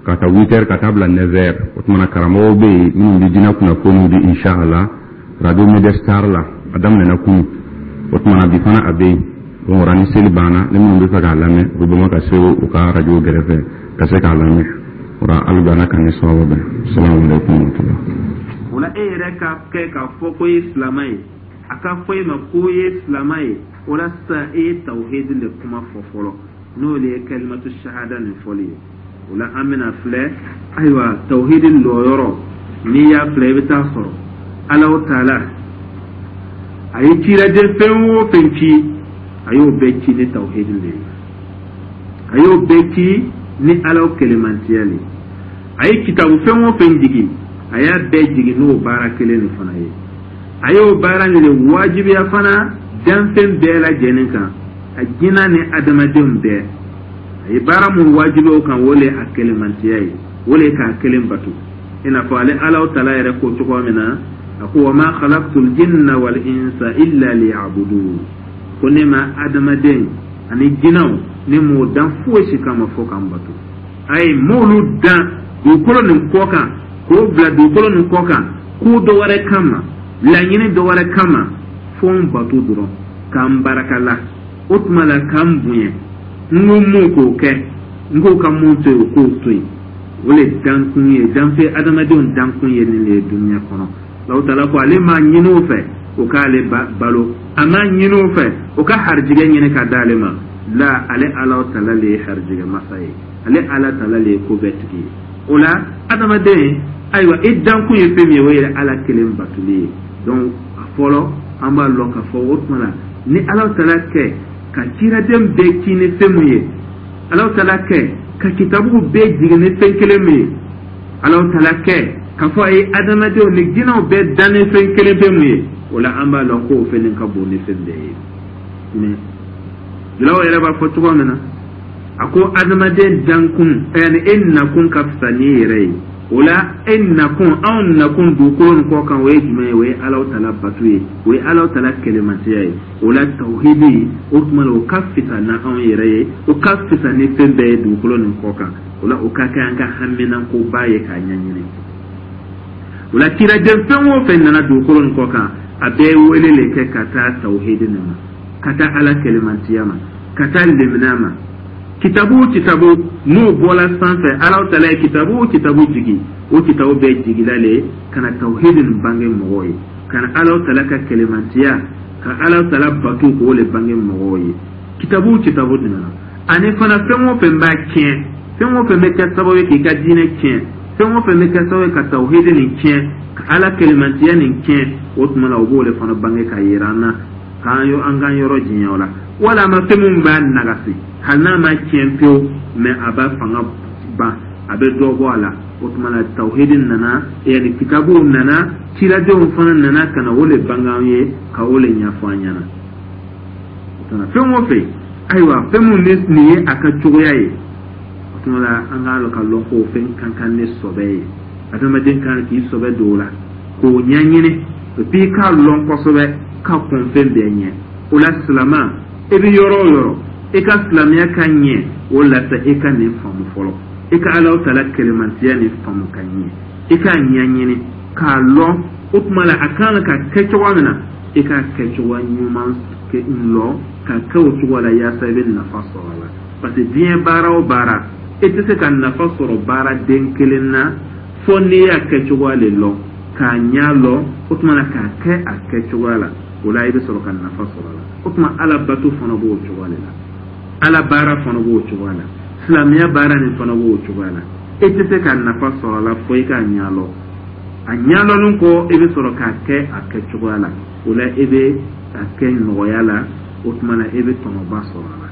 ka taa 8 heures ka taa bila 9 heures. O tuma na karamɔgɔw bɛ yen minnu bɛ diinɛ kunnafoniw di inshallah radio Media Star la. A daminɛna kunun, o tuma na bi fana a bɛ yen. Donc o ni seli banna, ni minnu bɛ fɛ k'a lamɛn, u bɛ bama ka se u ka radio gɛrɛfɛ ka se k'a lamɛn. O la hali bi Ala k'an ni sababu bɛn. Salamu aleykum wa rahmatulah. O la e yɛrɛ ka kɛ k'a fɔ ko i ye silamɛ ye, a ka fɔ e ma ko i ye silamɛ ye, o la sisan e ye tawhidi de kuma fɔ fɔlɔ, n'o de ye kalimatu shahada nin fɔli ye. O la an bɛna filɛ, ayiwa, tawhidi lɔyɔrɔ, n'i y'a filɛ, i bɛ taa sɔrɔ Alahu taala a ye ciraden fɛn o fɛn ci, a y'o bɛɛ ci ni tawhidi de ye, a y'o bɛɛ ci ni Alaw kelemantiya de ye. A ye kitabu fɛn o fɛn jigin, a y'a bɛɛ jigin n'o baara kelen de fana ye. A y'o baara nin de wajibiya fana danfɛn bɛɛ lajɛlen kan, a jinɛ ni adamadenw bɛɛ. A ye baara mun wajibiya o kan, o le a kelemantiya ye, o le k'a kelen bato, i n'a fɔ ale Alaw tala yɛrɛ ko cogo min na, a ko: wa ma khalaqtul jinna wal insa illa liya'budun. Ko ne ma adamaden ani jinɛw, ne m'o dan foyi si kama fo k'an bato. A ye m'olu dan dugukolo nin kɔ kan, k'o bila dugukolo nin kɔ kan ko dɔ wɛrɛ kama, laɲini dɔ wɛrɛ kama, fo n bato dɔrɔn, k'an barakala, o tuma la k'an bonya. N ko mun k'o kɛ, n k'o ka mun to yen, o k'o to yen. O le dankun ye, danfɛn adamadenw dankun ye nin de ye dunuya kɔnɔ. Alahu taala ko ale m'a ɲini o fɛ o k'ale balo, a m'a ɲini o fɛ o ka harijigɛ ɲini ka d'ale ma la. Ale Alahu taala le ye harijigɛ masa ye, ale Ala taala le ye ko bɛɛ tigi ye. O la adamaden, ayiwa, i dankun ye fɛn min ye, o ye Ala kelen batoli ye. Donc a fɔlɔ, an b'a lɔn k'a fɔ o tuma la ni Alahu taala kɛ ka ciraden bɛɛ ci ni fɛn mun ye, Alahu taala kɛ ka kitabuw bɛɛ jigin ni fɛn kelen min ye, Alahu taala kɛ K'a fɔ a ye adamadenw ni jinɛw bɛɛ dan ni fɛn kelen pe mun ye, o la an b'a lɔn k'o fɛn nin ka bon ni fɛn bɛɛ ye. Mais julaw yɛrɛ b'a fɔ cogo min na, a ko adamaden dankun, yani e nakun ka fisa n'i yɛrɛ ye. O la e nakun, anw nakun dugukolo nin kɔ kan, o ye jumɛn ye? O ye Alahu Taala batu ye, o ye Alahu Taala kɛlɛmasaya ye. O la tawhidi, o tuma la, o ka fisa na anw yɛrɛ ye, o ka fisa ni fɛn bɛɛ ye dugukolo nin kɔ kan. O la o ka kɛ an ka haminankoba ye k'a ɲɛɲini. O la ciraden fɛn o fɛn nana dugukolo nin kɔ kan, a bɛɛ wele le kɛ ka taa tawhidi nin ma, ka taa Ala kɛlɛmantiya ma, ka taa lemina ma. Kitabu o kitabu n'o bɔla sanfɛ, Alahu Taala ye kitabu o kitabu jigi, o kitabu bɛɛ jigila le ka na tawhidi nin bange mɔgɔw ye, ka na Alahu Taala ka kɛlɛmantiya, ka Alahu Taala bato, k'o le bange mɔgɔw ye. Kitabu o kitabu nana, ani fana fɛn o fɛn b'a tiɲɛ, fɛn o fɛn bɛ kɛ sababu ye k'i ka diinɛ tiɲɛ, fɛn o fɛn bɛ kɛ sababu ye ka tawhidi nin tiɲɛ, ka Ala kɛlɛmantiya nin tiɲɛ, o tuma la o b'o de fana bange ka yira an na, k'an an k'an yɔrɔ janya o la. Walama fɛn min b'a nagasi, hali n'a ma tiɲɛ pewu, mais a b'a fanga ban, a bɛ dɔ bɔ a la. O tuma la tawhidi nana, yani kitabuw nana, ciradenw fana nana ka na o le bange an ye, ka o le ɲɛfɔ an ɲɛna. O tuma fɛn o fɛn, ayiwa, fɛn min ni nin ye a ka cogoya ye, o tuma la an k'a lɔn ka lɔn k'o fɛn ka kan ni sɔbɛ ye. Adamaden kan k'i sɔbɛ don o la k'o ɲɛɲini, et puis k'a lɔn kosɛbɛ, ka kɔn fɛn bɛɛ ɲɛ. O la silama, e bɛ yɔrɔ o yɔrɔ, e ka silamɛya ka ɲɛ, o la sa e ka nin faamu fɔlɔ, e ka Alahu Taala kɛlɛmantiya nin faamu ka ɲɛ, e k'a ɲɛɲini k'a lɔn. O tuma la a kan ka kɛ cogoya min na, e k'a kɛ cogoya ɲuman lɔn ka kɛ o cogo la, yaasa i bɛ nafa sɔrɔ a la. Parce que diɲɛ baara o baara, e tɛ se ka nafa sɔrɔ baara den kelen na fo n'i y'a kɛ cogoya le lɔn, k'a ɲɛ lɔn, o tuma na k'a kɛ a kɛ cogoya la. O la i bɛ sɔrɔ ka nafa sɔrɔ a la. O tuma Ala bato fana b'o cogoya de la, Ala baara fana b'o cogoya la, silamɛya baara nin fana b'o cogoya la. E tɛ se ka nafa sɔrɔ a la fo i k'a ɲɛ lɔn. A ɲɛlɔnni kɔ, i bɛ sɔrɔ k'a kɛ a kɛ cogoya la. O la e bɛ a kɛ nɔgɔya la, o tuma na e bɛ tɔnɔba sɔrɔ a la.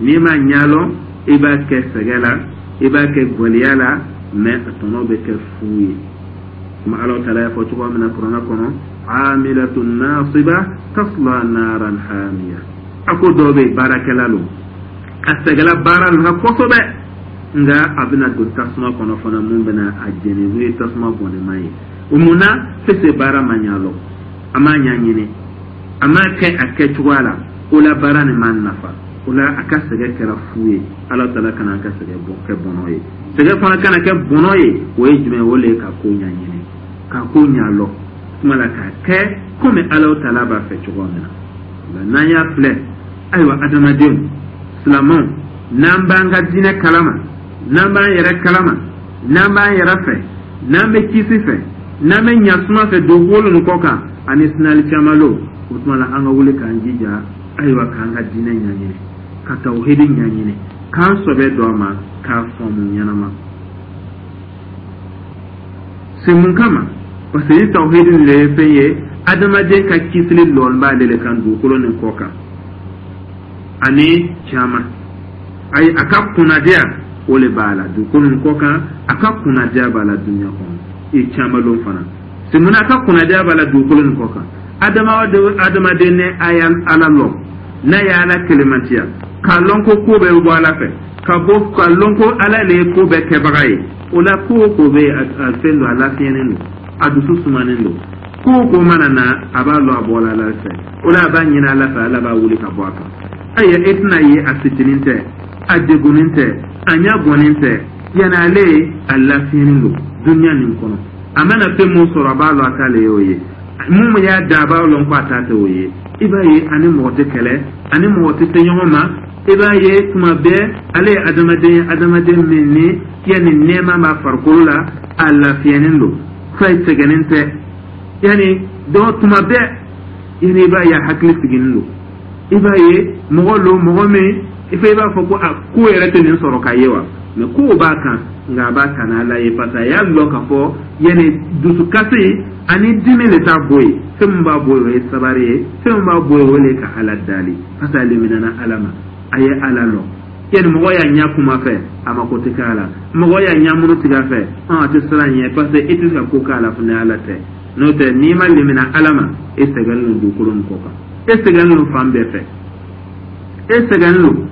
N'i m'a ɲɛlɔn, i b'a kɛ sɛgɛ la, i b'a kɛ gwɛlɛya la, mais a tɔnɔ bɛ kɛ fu ye. Kuma Ala Taala y'a fɔ cogoya min na kuranɛ kɔnɔ: amilatun nasiba tasla naran hamiya. A ko dɔw bɛ yen, baarakɛla lo, a sɛgɛla baara la kosɛbɛ, nka a bɛna don tasuma kɔnɔ fana mun bɛna a jeni, n'o ye tasuma bɔnɛma ye. O mun na? Pese baara ma ɲa lɔ, a m'a ɲɛɲini, a m'a kɛ a kɛcogoya la. O la baara nin m'a nafa, o la a ka sɛgɛ kɛra fu ye. Ala Taala kana an ka sɛgɛ kɛ bɔnɔ ye. Sɛgɛ fana kana kɛ bɔnɔ ye, o ye jumɛn ye? O le ye ka ko ɲɛɲini, ka ko ɲa lɔ kuma la, k'a kɛ komi Ala Taala b'a fɛ cogo min na. N'an y'a filɛ, ayiwa, adamadenw silamɛw, n'an b'an ka diinɛ kalama, n'an b'an yɛrɛ kalama, n'an b'an yɛrɛ fɛ, n'an bɛ kisi fɛ, n'an bɛ ɲasuma fɛ dugukolo nin kɔ kan ani sinali caman lo, o tuma la an ka wuli k'an jija, ayiwa, k'an ka diinɛ ɲɛɲini, ka tawhidi ɲɛɲini, k'an sɔbɛ don a ma, k'a faamu ɲɛnama. C'est mun kama? Parce que ni tawhidi nin de ye fɛn ye, adamaden ka kisili lɔn b'ale le kan dugukolo nin kɔ kan ani caman. Ayi, a ka kunnadiya o le b'a la dugukolo nin kɔ kan, a ka kunnadiya b'a la dunuya kɔnɔ i caman lon fana. C'est mun na a ka kunnadiya b'a la dugukolo nin kɔ kan? Adamaden ni a ye Ala lɔn, n'a ye Ala kelemantiya, k'a lɔn ko ko bɛɛ bɛ bɔ Ala fɛ, ka bɔ k'a lɔn ko Ala le ye ko bɛɛ kɛbaga ye, o la ko o ko bɛ a fɛn don, a lafiyɛnen don, a dusu sumanen don. Ko o ko mana na, a b'a lɔn a bɔra Ala fɛ. O la a b'a ɲini Ala fɛ, Ala b'a wuli ka bɔ a kan. Ayiwa, e tɛna ye a fitinin tɛ, a degunnen tɛ, a ɲɛ gɔnnen tɛ, yanni ale a lafiyɛnen don dunuya nin kɔnɔ. A mana fɛn mun sɔrɔ, a b'a lɔn a t'ale y'o ye. Mun y'a da, a b'a lɔn ko a t'a tɛ o ye. I b'a ye ani mɔgɔ tɛ kɛlɛ, ani mɔgɔ tɛ se ɲɔgɔn ma. I b'a ye tuma bɛɛ ale ye adamaden ye, adamaden min ni yanni nɛɛma b'a farikolo la, a lafiyɛnen don, foyi sɛgɛnnen tɛ. Yanni dɔw tuma bɛɛ, yanni i b'a ye a hakili sigilen don. I b'a ye mɔgɔ lo, mɔgɔ min i fɛ i b'a fɔ ko a ko yɛrɛ tɛ nin sɔrɔ ka ye wa, mais kow b'a kan, nka a b'a kana Ala ye, parce que a y'a lɔn k'a fɔ yanni dusukasi ani dimi de t'a bɔ yen. Fɛn min b'a bɔ yen, o ye sabari ye. Fɛn min b'a bɔ yen, o de ye ka Ala dali, parce que a liminana Ala ma, a ye Ala lɔn. Yani mɔgɔ y'a ɲɛ kuma fɛ, a mako tɛ k'a la. Mɔgɔ y'a ɲɛ munu tigɛ a fɛ, a tɛ siran ɲɛ, parce que e tɛ se ka ko k'a la fo ni Ala tɛ. N'o tɛ, n'i ma limina Ala ma, e sɛgɛnnen don dugukolo nin kɔ kan, e sɛgɛnnen don fan bɛɛ fɛ, e sɛgɛnnen don.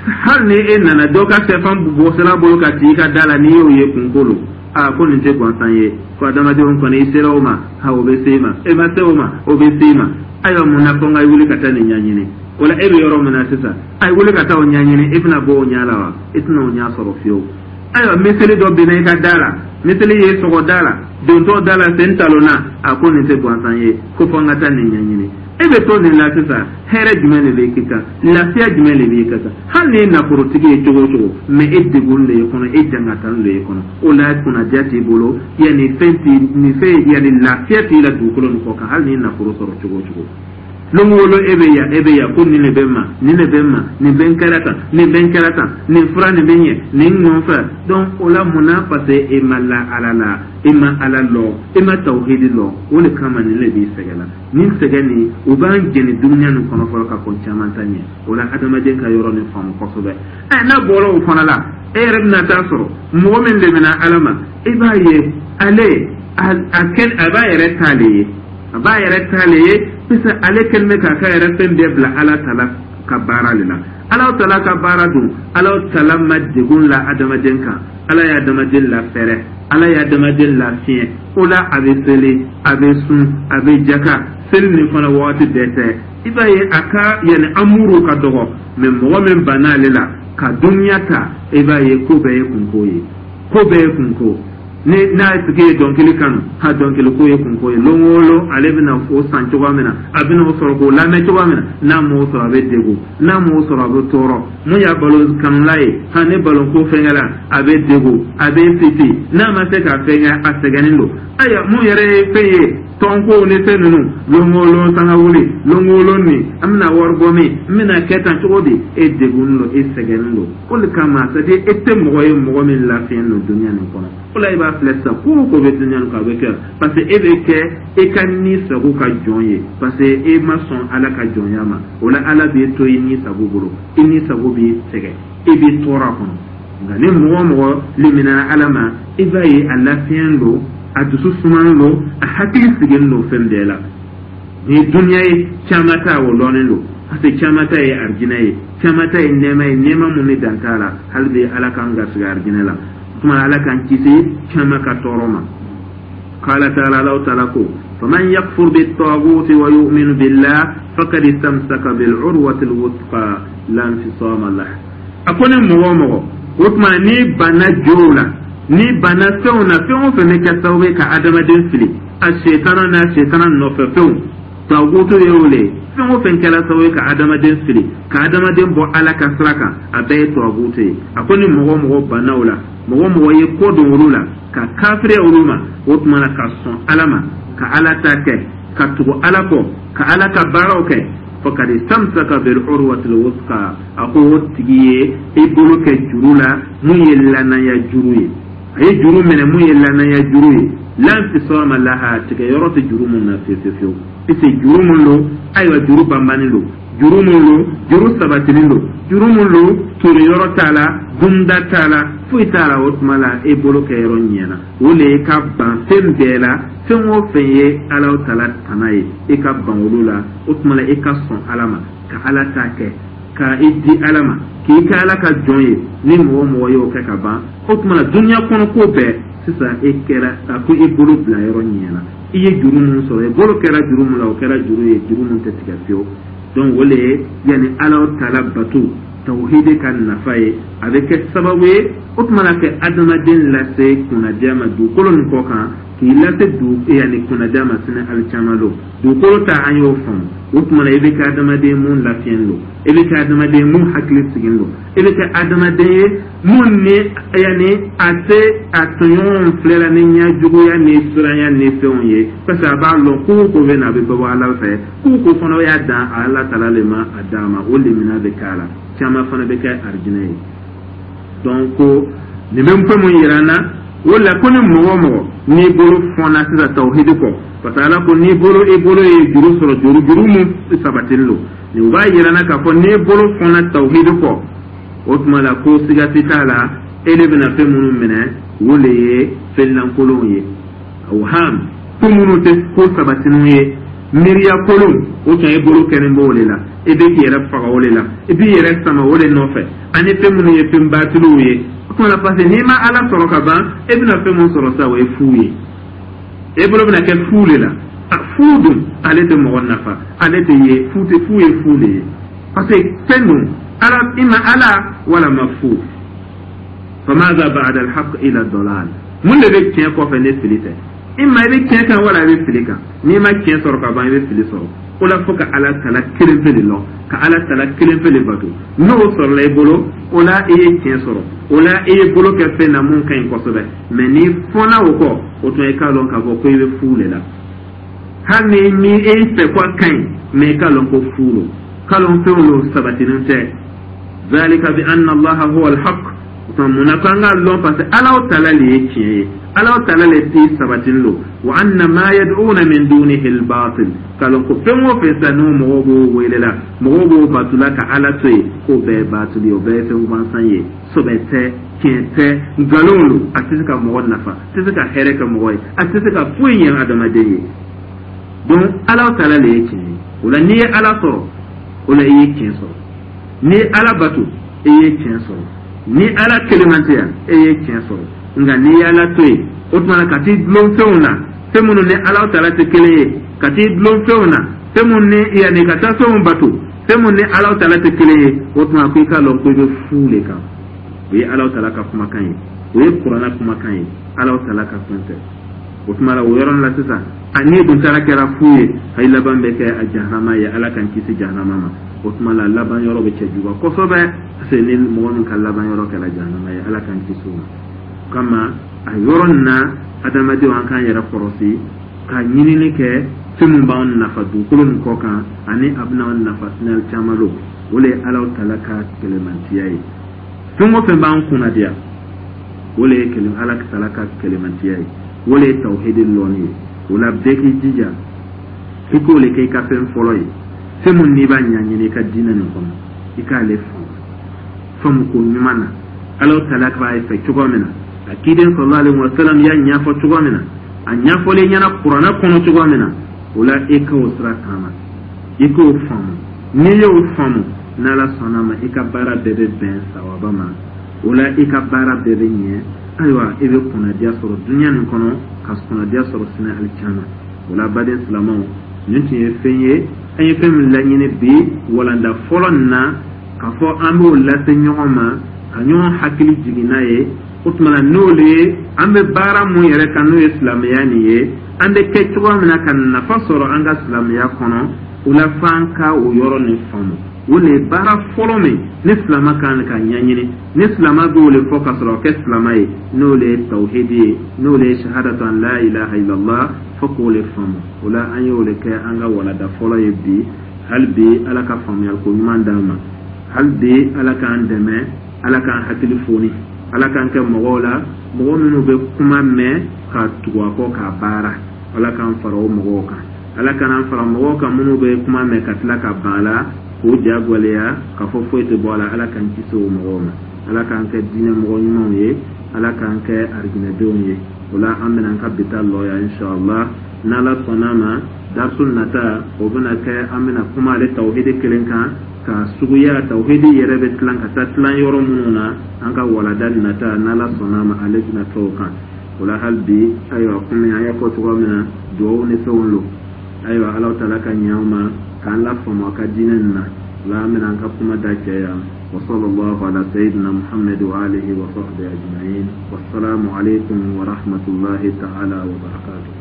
Hali ni e nana dɔ ka sɛfan bɔsira bolo ka ci i ka da la, n'i y'o ye, kunko lo. Aa, ko nin tɛ gansan ye, ko adamadenw kɔni, i sera o ma, ha, o bɛ se i ma, e ma se o ma, o bɛ se i ma. Ayiwa, mun na ko n ka wuli ka taa nin ɲɛɲini? O la, e bɛ yɔrɔ min na sisan, a ye wuli ka taa o ɲɛɲini, e bɛna bɔ o ɲɛ la wa? E tɛna o ɲɛ sɔrɔ fiyewu. Ayiwa, miseli dɔ binna i ka da la, miseli ye sɔgɔ da la, dontɔ da la, sen talonna. A ko nin tɛ gansan ye, ko fɔ n ka taa nin ɲɛɲini. E bɛ to nin la sisan, hɛrɛ jumɛn de bɛ k'i kan? Lafiya jumɛn de b'i kan? Hali ni ye nafolotigi ye cogo o cogo, mais e degun de ye kɔnɔ, e jangatani de ye kɔnɔ. O la, kunnadiya t'i bolo, yanni fɛn t'i nin fɛn, yanni lafiya t'i la dugukolo nin kɔ kan. Hali ni ye nafolo sɔrɔ cogo o cogo, lon o lon e bɛ yan, e bɛ yan, ko nin de bɛ n ma, nin de bɛ n ma, nin bɛ n kɛra tan, nin bɛ n kɛra tan, nin fura nin bɛ ɲɛ nin nɔfɛ. Donc o la, mun na? Parce que e ma la Ala la, e ma Ala lɔ, e ma tawhidi lɔ. O de kama nin de b'i sɛgɛn la. Nin sɛgɛn nin, o b'an jɛni dunuya nin kɔnɔ fɔlɔ ka kɔn caman ta ɲɛ. O la, adamaden ka yɔrɔ nin faamu kosɛbɛ. Ɛ, n'a bɔra o fana la, e yɛrɛ bɛna taa sɔrɔ mɔgɔ min lemina Ala ma, i b'a ye ale a kɛ a b'a yɛrɛ ta le ye, a b'a yɛrɛ ta le ye, parce ale kɛlen bɛ k'a ka yɛrɛ fɛn bɛɛ bila Ala ta la ka baara de la. Ala tala ka baara dun, Ala tala ma degun la adamaden kan. Ala ye adamaden lafɛrɛ, Ala ye adamaden lafiɲɛ. O la, a bɛ seli, a bɛ sun, a bɛ jaka. Seli nin fana, wagati bɛɛ tɛ. I b'a ye a ka yanni amuru ka dɔgɔ. Mais mɔgɔ min banna ale la ka duniya ta, i b'a ye ko bɛɛ ye kunko ye, ko bɛɛ ye kunko. Ni n'a tigi ye dɔnkili kanu, ha, dɔnkili ko ye kunko ye. Lon o lon, ale bɛna o san cogoya min na, a bɛna o sɔrɔ k'o lamɛn cogoya min na, n'a m'o sɔrɔ, a bɛ degun, n'a m'o sɔrɔ, a bɛ tɔɔrɔ. Mun y'a balon kanula ye? Ha, ni balon ko fɛnkɛ la, a bɛ degun, a bɛ fiti, n'a ma se ka fɛnkɛ, a sɛgɛnnen don. Ayiwa, mun yɛrɛ ye fɛn ye, tɔnko ni fɛn ninnu, lon o lon sanga wuli, lon o lon nin, an bɛna wari bɔ min, n bɛna kɛ tan cogo di? E degunnen don, e sɛgɛnnen don. O de kama, c'est à dire, e tɛ mɔgɔ ye mɔgɔ min lafiyɛn don dunuya nin kɔnɔ. O la, i b'a filɛ sisan, ko o ko bɛ dunuya nin kɔnɔ, a bɛ kɛ parce que e bɛ kɛ e ka ni sago ka jɔn ye, parce que e ma sɔn Ala ka jɔnya ma. O la, Ala b'e to i ni sago bolo, i ni sago b'i sɛgɛn, e b'i tɔɔrɔ a kɔnɔ. Nka ni mɔgɔ o mɔgɔ limina Ala ma, i b'a ye a lafiyɛn don, a dusu sumanen don, a hakili sigilen don fɛn bɛɛ la. Ni dunuya ye, caman ta o lɔnnen don, parce que caman ta ye arijinɛ ye, caman ta ye nɛɛma ye, nɛɛma mun ni dan t'a la. Hali bi, Ala k'an garisɛgɛ arijinɛ la. Tuma Ala k'an kisi caman ka tɔɔrɔ ma. Qala ta'ala, Allahu ta'ala ko: faman yakfur bit-taghut wa yu'min billah faqad istamsaka bil-urwati al-wuthqa la infisama lah. A ko ni mɔgɔ o mɔgɔ, o tuma n'i banna jow la, n'i banna fɛnw na, fɛn o fɛn bɛ kɛ sababu ye ka adamaden fili, a setana n'a setana nɔfɛ fɛnw, tagutu ye o le ye. Fɛn o fɛn kɛra sababu ye ka adamaden fili, ka adamaden bɔ Ala ka sira kan, a bɛɛ ye tagutu ye. A ko ni mɔgɔ o mɔgɔ banna o la, mɔgɔ o mɔgɔ ye ko don olu la, ka kafiriya olu ma, o tuma na ka sɔn Ala ma, ka Ala ta kɛ, ka tugu Ala kɔ, ka Ala ka baaraw kɛ, faqad istamsaka bil urwatil wuthqa, a ko o tigi ye i bolo kɛ juru la mun ye lanaya juru ye. A ye juru minɛ mun ye lanaya juru ye, la infisama laha, tigɛ yɔrɔ tɛ juru mun na fiyewu fiyewu. Puisque juru mun don, ayiwa, juru banbannen don, juru mun don, juru sabatilen don, juru mun don, tori yɔrɔ t'a la, dunda t'a la, foyi t'a la. O tuma la, e bolo kɛ yɔrɔ ɲɛna, o le ye ka ban fɛn bɛɛ la. Fɛn o fɛn ye Ala tala tana ye, e ka ban olu la. O tuma la, e ka sɔn Ala ma, ka Ala ta kɛ, ka i di Ala ma, k'i kɛ Ala ka jɔn ye. Ni mɔgɔ o mɔgɔ y'o kɛ ka ban, o tuma la, dunuya kɔnɔ ko bɛɛ sisan, e kɛra a ko i bolo bila yɔrɔ ɲɛna. I ye juru mun sɔrɔ, i bolo kɛra juru mun la, o kɛra juru ye, juru mun tɛ tigɛ fiyewu. Donc o le ye yanni Ala tala bato, tawhidi ka nafa ye. A bɛ kɛ sababu ye, o tuma na, kɛ adamaden lase kunnadiya ma dugukolo nin kɔ kan, k'i lase dugu yanni kunnadiya ma sini alikiyama don. Dugukolo ta, an y'o faamu. O tuma na, i bɛ kɛ adamaden mun lafiyɛn don, i bɛ kɛ adamaden mun hakili sigilen don, i bɛ kɛ adamaden ye mun ni yanni a tɛ a tɔɲɔgɔnw filɛla ni ɲɛjuguya ni siranya ni fɛnw ye, parce que a b'a lɔn ko o ko bɛ na, a bɛ bɔ Ala fɛ. Ko o ko fana y'a dan Ala tala le ma, a d'a ma, o lemina bɛ k'a la. Caman fana bɛ kɛ arijinɛ ye. Donc ko nin bɛ fɛn mun yira an na o la, ko ni mɔgɔ o mɔgɔ n'i bolo fɔnna sisan tawhidi kɔ, parce que Ala ko n'i bolo, i bolo ye juru sɔrɔ, juru mun sabatilen don, nin b'a yira n na k'a fɔ n'i bolo fɔnna tawhidi kɔ. O tuma la, ko siga tɛ t'a la, e de bɛna fɛn minnu minɛ, o le ye fɛn lankolonw ye, awham, ko minnu tɛ ko sabatininw ye, miiriya kolon. O tun ye bolo kɛlen b'o de la, i bɛ k'i yɛrɛ faga o de la, i b'i yɛrɛ sama o de nɔfɛ, ani fɛn minnu ye fɛn batiliw ye. O tuma la, parce que n'i ma Ala sɔrɔ ka ban, e bɛna fɛn min sɔrɔ sa, o ye fu ye. E bolo bɛna kɛ fu de la. A fu dun, ale tɛ mɔgɔ nafa, ale tɛ ye fu tɛ, fu ye fu de ye, parce que fɛn dun ala ima ala walama fu. Famaza ba'da al-haqq ila dalal. Mun de bɛ tiɲɛ kɔfɛ ni fili tɛ? Ima i bɛ tiɲɛ kan wala i bɛ fili kan. N'i ma tiɲɛ sɔrɔ ka ban, i bɛ fili sɔrɔ. O la, fo ka Ala tala kelen pe de lɔn, ka Ala tala kelen pe de bato. N'o sɔrɔla i bolo, o la i ye tiɲɛ sɔrɔ, o la i ye bolo kɛ fɛn na mun ka ɲi kosɛbɛ. Mɛ n'i fɔnna o kɔ, o tuma i k'a lɔn k'a fɔ ko i bɛ fu de la. Hali ni e fɛ ko a ka ɲi, mɛ i k'a lɔn ko fu lo, k'a lɔn fɛnw lo sabatinen tɛ. Zalika bi anna Allaha huwa alhaq. Mun na ko an k'a lɔn? Parce que Ala tala le ye tiɲɛ ye, Ala tala le ti sabatinin lo. Wa anna ma yad'una min dunihi albatil. K'a lɔn ko fɛn o fɛn sa, n'o mɔgɔw b'o wele la, mɔgɔw b'o bato la ka Ala to yen, k'o bɛɛ ye batili ye, o bɛɛ ye fɛn gansan ye, sɔbɛ tɛ, tiɲɛ tɛ, nkalon lo. A tɛ se ka mɔgɔ nafa, a tɛ se ka hɛrɛ kɛ mɔgɔ ye, a tɛ se ka foyi ɲɛ adamaden ye. Donc Ala tala le ye tiɲɛ ye. O la, n'i ye Ala sɔrɔ, o la i ye tiɲɛ sɔrɔ. N'i ye Ala bato, i ye tiɲɛ sɔrɔ. Ni Ala kelemantiya, e ye tiɲɛ sɔrɔ. Nka n'i ye Ala to yen, o tuma na ka t'i dulon fɛnw na, fɛn minnu ni Ala tala tɛ kelen ye, ka t'i dulon fɛnw na, fɛn minnu ni yanni ka taa fɛnw bato, fɛn minnu ni Ala tala tɛ kelen ye, o tuma ko i k'a lɔn ko i bɛ fu de kan. O ye Ala tala ka kumakan ye, o ye Kuranna kumakan ye, Ala tala ka fɛn tɛ. O tuma la, o yɔrɔnin la sisan, a n'i dun taara kɛra fu ye, a ye laban bɛ kɛ a jahanama ye. Ala k'an kisi jahanama ma. O tuma la, laban yɔrɔ bɛ cɛjuguya kosɛbɛ, parce que ni mɔgɔ min ka laban yɔrɔ kɛra jahanama ye, Ala k'an kisi o ma. O kama, a yɔrɔ nin na, adamadenw, an k'an yɛrɛ kɔlɔsi ka ɲinini kɛ fɛn min b'an nafa dugukolo nin kɔ kan, ani a bɛna an nafa sini caman lo. O de ye Ala tala ka kɛlɛmantiya ye. Fɛn o fɛn b'an kunnadiya, o de ye Ala tala ka kɛlɛmantiya ye, o de ye tawhidi lɔnni ye. O la, bɛɛ k'i jija i k'o le kɛ i ka fɛn fɔlɔ ye. Fɛn mun n'i b'a ɲɛɲini i ka diinɛ nin kɔnɔ, i k'ale faamu faamu ko ɲuman na, Ala tala b'a fɛ cogo min na, a kiden sallallahu alaihi wa sallam y'a ɲɛfɔ cogo min na, a ɲɛfɔlen ɲɛna Kuranɛ kɔnɔ cogo min na, o la e k'o sira taama, i k'o faamu. N'i y'o faamu, n'Ala sɔnna ma, i ka baara bɛɛ bɛ bɛn sawaba ma. O la, i ka baara bɛɛ bɛ ɲɛ. Ayiwa, i bɛ kunnadiya sɔrɔ dunuya nin kɔnɔ, ka kunnadiya sɔrɔ sini alikiyama. O la, baden silamɛw, nin tun ye fɛn ye an ye fɛn min laɲini bi walanda fɔlɔ nin na, k'a fɔ an b'o lase ɲɔgɔn ma, ka ɲɔgɔn hakili jigin n'a ye. O tuma na, n'o le ye an bɛ baara mun yɛrɛ kan, n'o ye silamɛya nin ye, an bɛ kɛ cogoya min na ka nafa sɔrɔ an ka silamɛya kɔnɔ, o la f'an ka o yɔrɔ nin faamu. O le ye baara fɔlɔ min ni silama kan ka ɲɛɲini, ni silama b'o le fɔ ka sɔrɔ kɛ silama ye, n'o le ye tawhidi ye, n'o le ye shahadatu an la ilaha illallah, fo k'o le faamu. O la, an y'o le kɛ an ka walada fɔlɔ ye bi. Hali bi, Ala ka faamuyali ko ɲuman d'an ma. Hali bi, Ala k'an dɛmɛ, Ala k'an hakili foni, Ala k'an kɛ mɔgɔw la, mɔgɔ minnu bɛ kuma mɛn ka tugu a kɔ k'a baara. Ala k'an fara o mɔgɔw kan. Ala k'an fara mɔgɔw kan minnu bɛ kuma mɛn ka tila ka ban a la, k'o ja gwɛlɛya k'a fɔ foyi tɛ bɔ a la. Ala k'an kisi o mɔgɔw ma. Ala k'an kɛ diinɛ mɔgɔ ɲumanw ye, Ala k'an kɛ arijinɛdenw ye. O la, an bɛna an ka bi ta lɔ yan, inshallah. N'Ala sɔnna ma, darisu nata, o bɛna kɛ an bɛna kuma ale tawhidi kelen kan, ka suguya tawhidi yɛrɛ bɛ tilan ka taa tilan yɔrɔ minnu na. An ka walada nata, n'Ala sɔnna ma, ale bɛna kɛ o kan. O la, hali bi, ayiwa, komi an y'a fɔ cogoya min na, duwawu ni fɛnw lo. Ayiwa, Ala tala ka ɲɛ an ma k'an lafaamu a ka diinɛ nin na. O la, an bɛna an ka kuma da cɛ yan. وصلى الله على سيدنا محمد وآله وصحبه أجمعين، والسلام عليكم ورحمة الله تعالى وبركاته.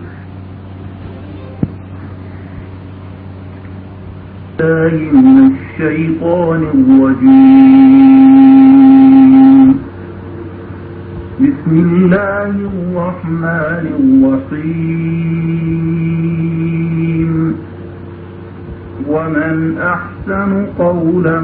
من الشيطان الرجيم. بسم الله الرحمن الرحيم. ومن أحسن قولا